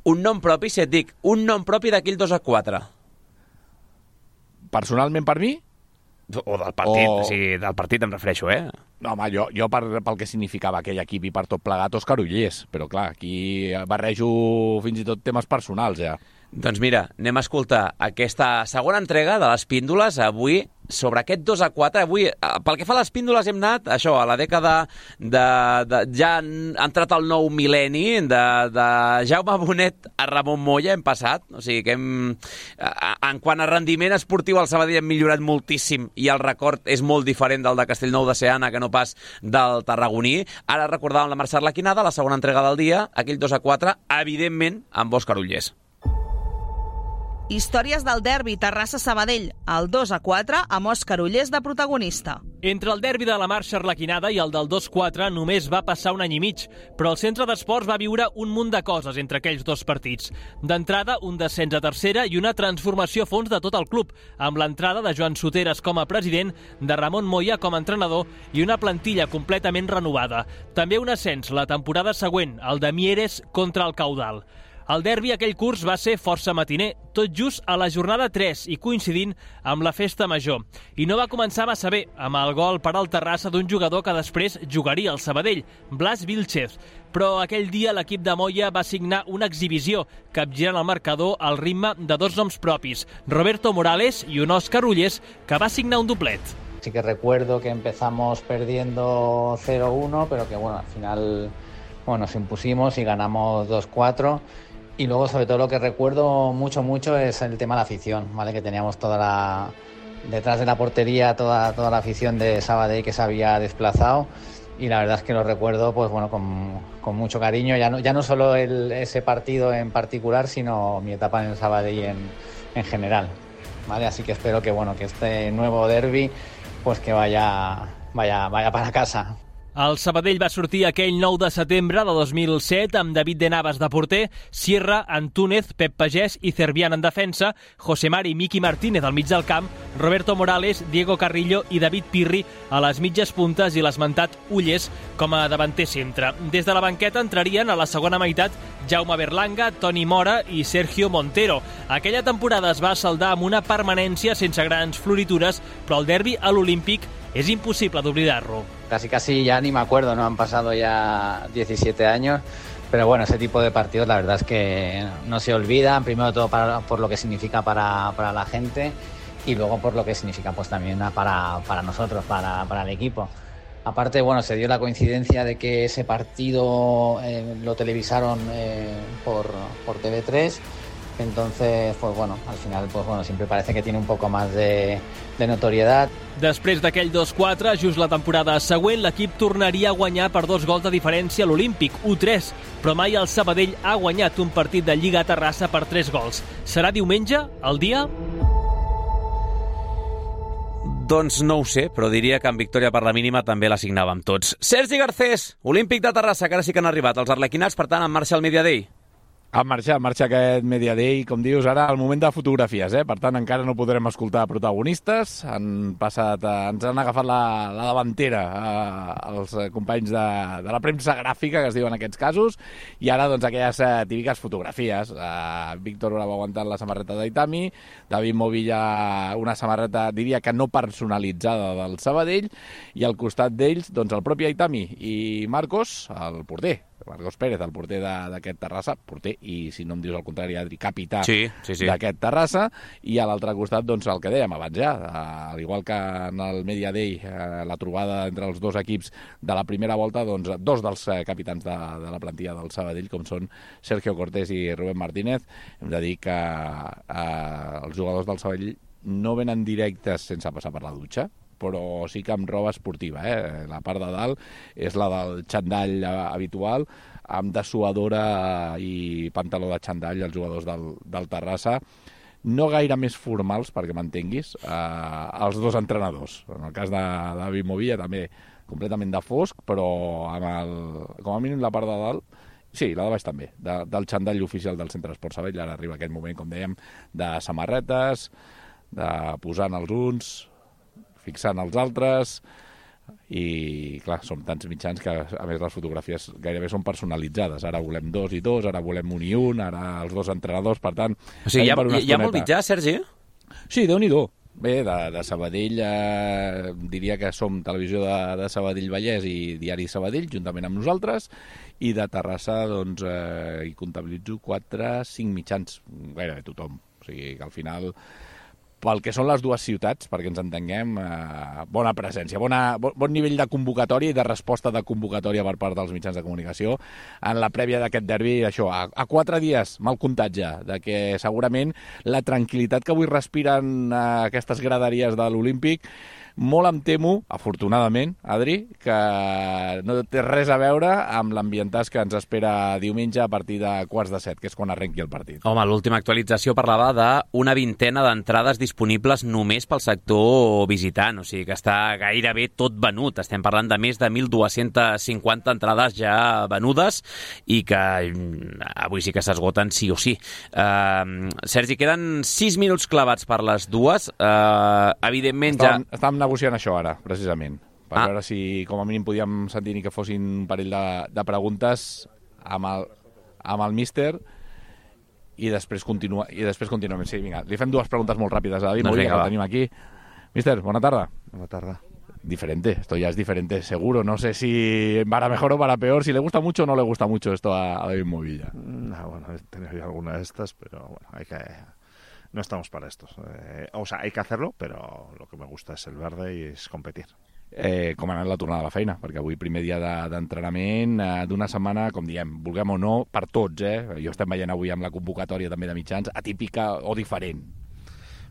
Un nom propi, si et dic, un nom propi d'aquell 2-4. Personalment per mi? O del partit, sí, del partit em refereixo, No, home, jo pel que significava aquell equip i per tot plegat, Òscar Ullés. Però clar, aquí barrejo fins i tot temes personals, ja. Doncs mira, anem a escoltar aquesta segona entrega de les píndoles avui sobre aquest 2-4. Avui, pel que fa a les píndoles, hem anat això, a la dècada ja han entrat el nou mil·lenni, de Jaume Bonet a Ramon Moya hem passat. O sigui que en quant a rendiment esportiu, el Sabadell hem millorat moltíssim i el record és molt diferent del de Castellnou de Seana que no pas del tarragoní. Ara recordàvem la Mercè Arlequinada, la segona entrega del dia, aquell 2-4, evidentment amb Òscar Ullés. Històries del derbi Terrassa-Sabadell, el 2-4 amb Òscar Ullés de protagonista. Entre el derbi de la Marxa Arlequinada i el del 2-4 només va passar un any i mig, però el centre d'esports va viure un munt de coses entre aquells dos partits. D'entrada, un descens a tercera i una transformació a fons de tot el club, amb l'entrada de Joan Soteres com a president, de Ramon Moya com a entrenador i una plantilla completament renovada. També un ascens la temporada següent, el de Mieres contra el Caudal. El derbi aquell curs va ser força matiner, tot just a la jornada 3 i coincidint amb la festa major. I no va començar massa bé, amb el gol per al Terrassa d'un jugador que després jugaria al Sabadell, Blas Vilchez. Però aquell dia l'equip de Moya va signar una exhibició, capgirant el marcador al ritme de dos noms propis, Roberto Morales i un Òscar Ullés, que va signar un doblet. Sí que recuerdo que empezamos perdiendo 0-1, pero que bueno, al final nos impusimos y ganamos 2-4. Y luego, sobre todo, lo que recuerdo mucho es el tema de la afición, ¿vale? Que teníamos detrás de la portería toda la afición de Sabadell que se había desplazado, y la verdad es que lo recuerdo pues bueno con mucho cariño, ya no solo ese partido en particular, sino mi etapa en el Sabadell en general, ¿vale? Así que espero que este nuevo derbi pues que vaya para casa. El Sabadell va sortir aquell 9 de setembre de 2007 amb David de Navas de porter, Sierra, Antúnez, Pep Pagès i Cervián en defensa, José Mari i Miki Martínez al mig del camp, Roberto Morales, Diego Carrillo i David Pirri a les mitges puntes i l'esmentat Ullés com a davanter centre. Des de la banqueta entrarien a la segona meitat Jaume Berlanga, Toni Mora i Sergio Montero. Aquella temporada es va saldar amb una permanència sense grans floritures, però el derbi a l'Olímpic es imposible de olvidarlo. Casi ya ni me acuerdo, ¿no? Han pasado ya 17 años, pero bueno, ese tipo de partidos la verdad es que no se olvidan, primero de todo por lo que significa para la gente y luego por lo que significa pues también para nosotros, para el equipo. Aparte, bueno, se dio la coincidencia de que ese partido lo televisaron por TV3. Entonces, pues bueno, al final pues bueno, siempre parece que tiene un poco más de notoriedad. Després d'aquell 2-4, just la temporada següent, l'equip tornaria a guanyar per 2 gols de diferència a l'Olímpic, 1-3, però mai el Sabadell ha guanyat un partit de Lliga a Terrassa per 3 gols. Serà diumenge, el dia? Doncs no ho sé, però diria que en victòria per la mínima també la signàvem tots. Sergi Garcés, Olímpic de Terrassa, que ara sí que han arribat els arlequinats, per tant, en marxa el Media Day. En marxa aquest Media Day, com dius, ara al moment de fotografies, Per tant, encara no podrem escoltar protagonistes. Ens han agafat la davantera els companys de la premsa gràfica, que es diu en aquests casos, i ara, doncs, aquelles típiques fotografies. Víctor Bravo aguantant la samarreta d'Aitami, David Movilla una samarreta, diria que no personalitzada del Sabadell, i al costat d'ells, doncs, el propi Aitami i Marcos, el porter. Marcos Pérez, el porter d'aquest Terrassa, porter i, si no em dius el contrari, Adri, capità d'aquest Terrassa, i a l'altre costat, doncs, el que dèiem abans ja, al igual que en el Media Day, la trobada entre els dos equips de la primera volta, doncs, dos dels capitans de la plantilla del Sabadell, com són Sergio Cortés i Rubén Martínez. Hem de dir que els jugadors del Sabadell no venen directes sense passar per la dutxa, però sí que amb roba esportiva. La part de dalt és la del xandall habitual, amb dessuadora i pantaló de xandall els jugadors del Terrassa. no gaire més formals, perquè m'entenguis, els dos entrenadors. En el cas de David Movilla també completament de fosc, però com a mínim la part de dalt, sí, la de baix també, del xandall oficial del Centre Esport Sabadell. Ara arriba aquest moment, com dèiem, de samarretes, de posant els uns, fixant els altres, i clar, som tants mitjans que a més les fotografies gairebé són personalitzades. Ara volem 2 i 2, ara volem 1 i 1, ara els dos entrenadors, per tant... O sigui, hi ha molt mitjà, Sergi? Sí, Déu-n'hi-do. Bé, de Sabadell diria que som Televisió de Sabadell Vallès i Diari Sabadell, juntament amb nosaltres, i de Terrassa, doncs, hi comptabilitzo 4-5 mitjans, gairebé tothom. O sigui que al final, pel que són les dues ciutats, perquè ens entenguem, bona presència, bon nivell de convocatòria i de resposta de convocatòria per part dels mitjans de comunicació en la prèvia d'aquest derbi, això, a 4 dies, mal comptat ja, de que segurament la tranquil·litat que avui respiren aquestes graderies de l'Olímpic, molt em temo, afortunadament, Adri, que no té res a veure amb l'ambientàs que ens espera diumenge a partir de 6:45, que és quan arrenqui el partit. Home, l'última actualització parlava d'una vintena d'entrades disponibles només pel sector visitant, o sigui que està gairebé tot venut. Estem parlant de més de 1.250 entrades ja venudes i que avui sí que s'esgoten sí o sí. Sergi, queden 6 minuts clavats per les dues. Evidentment Estàvem negociant això ara, precisament, per veure si com a mínim podíem sentir ni que fossin un parell de preguntes amb el míster i després continuem. Sí, vinga, li fem 2 preguntes molt ràpides a David Movilla, que el tenim aquí. Míster, bona tarda. Buena tarde. Diferente, esto ya es diferente, seguro. No sé si para mejor o para peor, si le gusta mucho o no le gusta mucho esto a David Movilla. Bueno, he tenido ya alguna de estas, pero bueno, no estamos para estos. O sea, hay que hacerlo, però lo que me gusta és el verde i és competir. Com ha anat la tornada a la feina? Perquè avui primer dia d'entrenament d'una setmana, com diem, vulguem o no, per tots, Jo estem veient avui amb la convocatòria també de mitjans, atípica o diferent.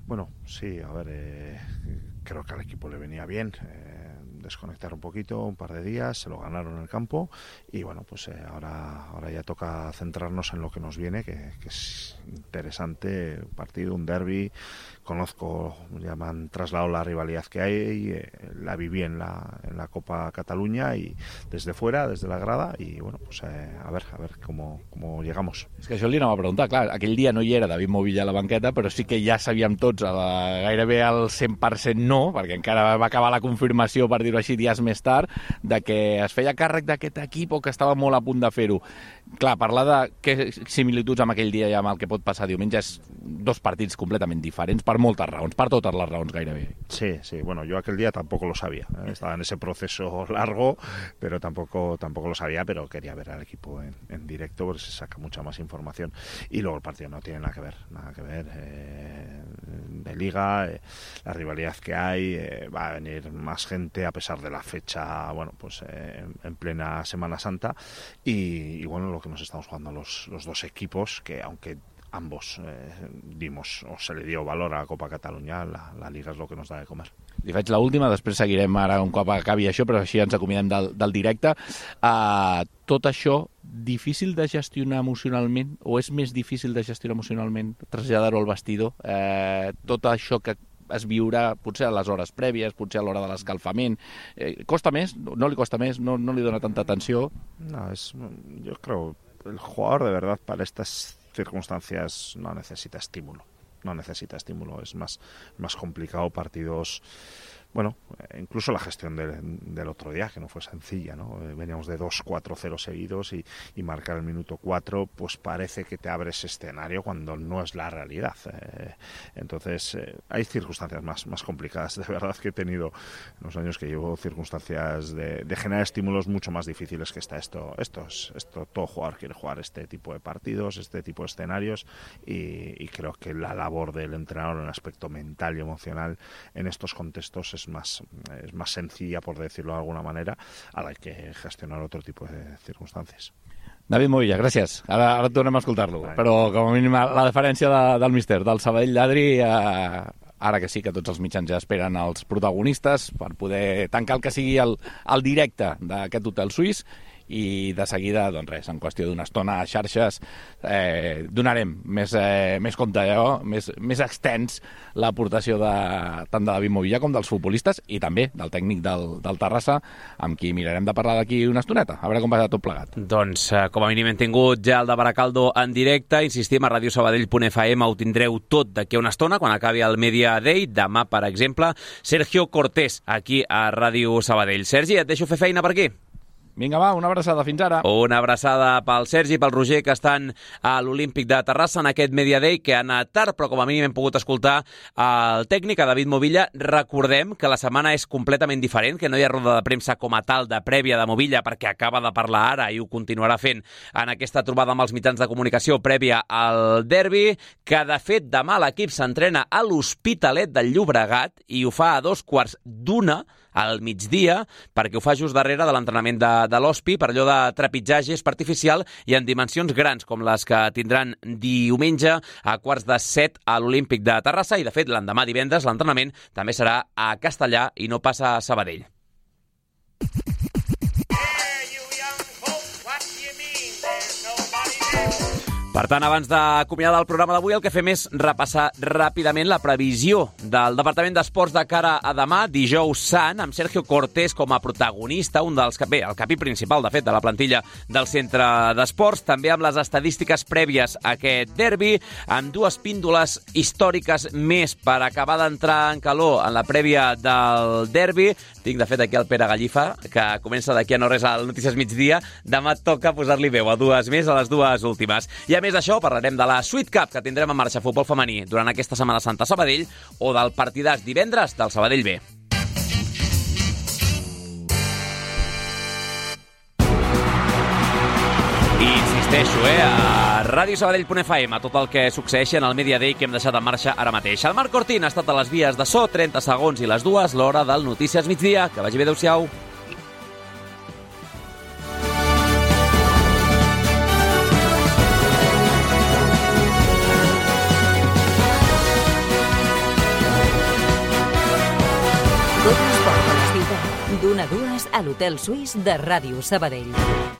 Bueno, sí, a ver, creo que al equipo le venía bien desconectar un poquito, un par de días, se lo ganaron en el campo y bueno, pues ahora ya toca centrarnos en lo que nos viene, que es interesante, un partido, un derbi. Conozco, ya me han trasladado la rivalidad que hay, la viví en la Copa Cataluña y desde fuera, desde la grada, y bueno, pues a ver cómo llegamos. És que això li anava a preguntar, clar, aquell dia no hi era David Movilla a la banqueta, però sí que ja sabíem tots gairebé al 100% no, perquè encara va acabar la confirmació, per dir-ho així, dies més tard, de que es feia càrrec d'aquest equip o que estava molt a punt de fer-ho. Clar, parlar de què similituds amb aquell dia i amb el que pot passar diumenge és 2 partits completament diferents per moltes raons, per totes les raons gairebé. Sí, bueno, yo aquel día tampoco lo sabía, estaba en ese proceso largo, pero tampoco lo sabía, pero quería ver al equipo en directo porque se saca mucha más información y luego el partido no tiene nada que ver de liga, la rivalidad que hay, va a venir más gente a pesar de la fecha, bueno, pues en plena Semana Santa y bueno, lo que nos estamos jugando los 2 equipos, que aunque ambos dimos o se le dio valor a la Copa Catalunya, la Liga és lo que nos da de comer. Li faig l'última, després seguirem ara un cop acabi això, però així ens acomidem del directe. Tot això, difícil de gestionar emocionalment, o és més difícil de gestionar emocionalment, traslladar-ho al vestidor? Tot això que es viurà potser a les hores prèvies, potser a l'hora de l'escalfament. Costa més? No li costa més? No li dona tanta atenció? No, yo creo el jugador de verdad para estas circunstancias no necesita estímulo, es más complicado partidos. Bueno, incluso la gestión del otro día, que no fue sencilla, ¿no? Veníamos de 2-4-0 seguidos y marcar el minuto 4, pues parece que te abre ese escenario cuando no es la realidad. Entonces, hay circunstancias más complicadas. De verdad que he tenido en los años que llevo circunstancias de generar estímulos mucho más difíciles que esto. Todo jugador quiere jugar este tipo de partidos, este tipo de escenarios y creo que la labor del entrenador en el aspecto mental y emocional en estos contextos es más sencilla, por decirlo de alguna manera, a la que gestionar otro tipo de circunstancias. David Movilla, gràcies. Ara tornem a escoltar-lo. Però, com a mínim, la diferència del míster, del Sabadell d'Adri, ara que sí que tots els mitjans ja esperen els protagonistes per poder tancar el que sigui el directe d'aquest hotel suís, i de seguida, doncs res, en qüestió d'una estona a xarxes donarem més compte, més extens l'aportació tant de David Movilla com dels futbolistes i també del tècnic del Terrassa, amb qui mirarem de parlar d'aquí una estoneta, a veure com va tot plegat. Doncs com a mínim hem tingut ja el de Baracaldo en directe, insistim, a radiosabadell.fm ho tindreu tot d'aquí a una estona, quan acabi el Media Day, demà, per exemple, Sergio Cortés, aquí a Ràdio Sabadell. Sergi, et deixo fer feina per aquí. Vinga, va, una abraçada, fins ara. Una abraçada pel Sergi i pel Roger, que estan a l'Olímpic de Terrassa en aquest Media Day, que ha anat tard, però com a mínim hem pogut escoltar el tècnic, a David Movilla. Recordem que la setmana és completament diferent, que no hi ha roda de premsa com a tal de prèvia de Movilla, perquè acaba de parlar ara i ho continuarà fent en aquesta trobada amb els mitjans de comunicació prèvia al derbi, que de fet demà l'equip s'entrena a l'Hospitalet del Llobregat i ho fa a 2:15 al migdia, perquè ho fa just darrere de l'entrenament de l'Hospi, per allò de trepitjar gest artificial i en dimensions grans, com les que tindran diumenge a 6:45 a l'Olímpic de Terrassa, i de fet l'endemà divendres l'entrenament també serà a Castellà i no passa a Sabadell. Per tant, abans d'acomiadar el programa d'avui, el que fem és repassar ràpidament la previsió del Departament d'Esports de cara a demà, dijous sant, amb Sergio Cortés com a protagonista, un dels el capí principal, de fet, de la plantilla del Centre d'Esports, també amb les estadístiques prèvies a aquest derbi, amb dues píndoles històriques més per acabar d'entrar en calor en la prèvia del derbi. Tinc, de fet, aquí el Pere Gallifa, que comença d'aquí a no res al Notícies Migdia. Demà toca posar-li veu a dues més, a les dues últimes. I a més d'això, parlarem de la Sweet Cup que tindrem en marxa futbol femení durant aquesta Setmana Santa a Sabadell, o del partidàs divendres del Sabadell B. I insisteixo, a radiosabadell.fm, a tot el que succeeixi en el Media Day que hem deixat en marxa ara mateix. El Marc Cortín ha estat a les vies de so, 30 segons i les dues, l'hora del Notícies Migdia. Que vagi bé, adéu-siau. Tot l'esport de la ciutat, d'1 a 2 a l'Hotel Suís de Ràdio Sabadell.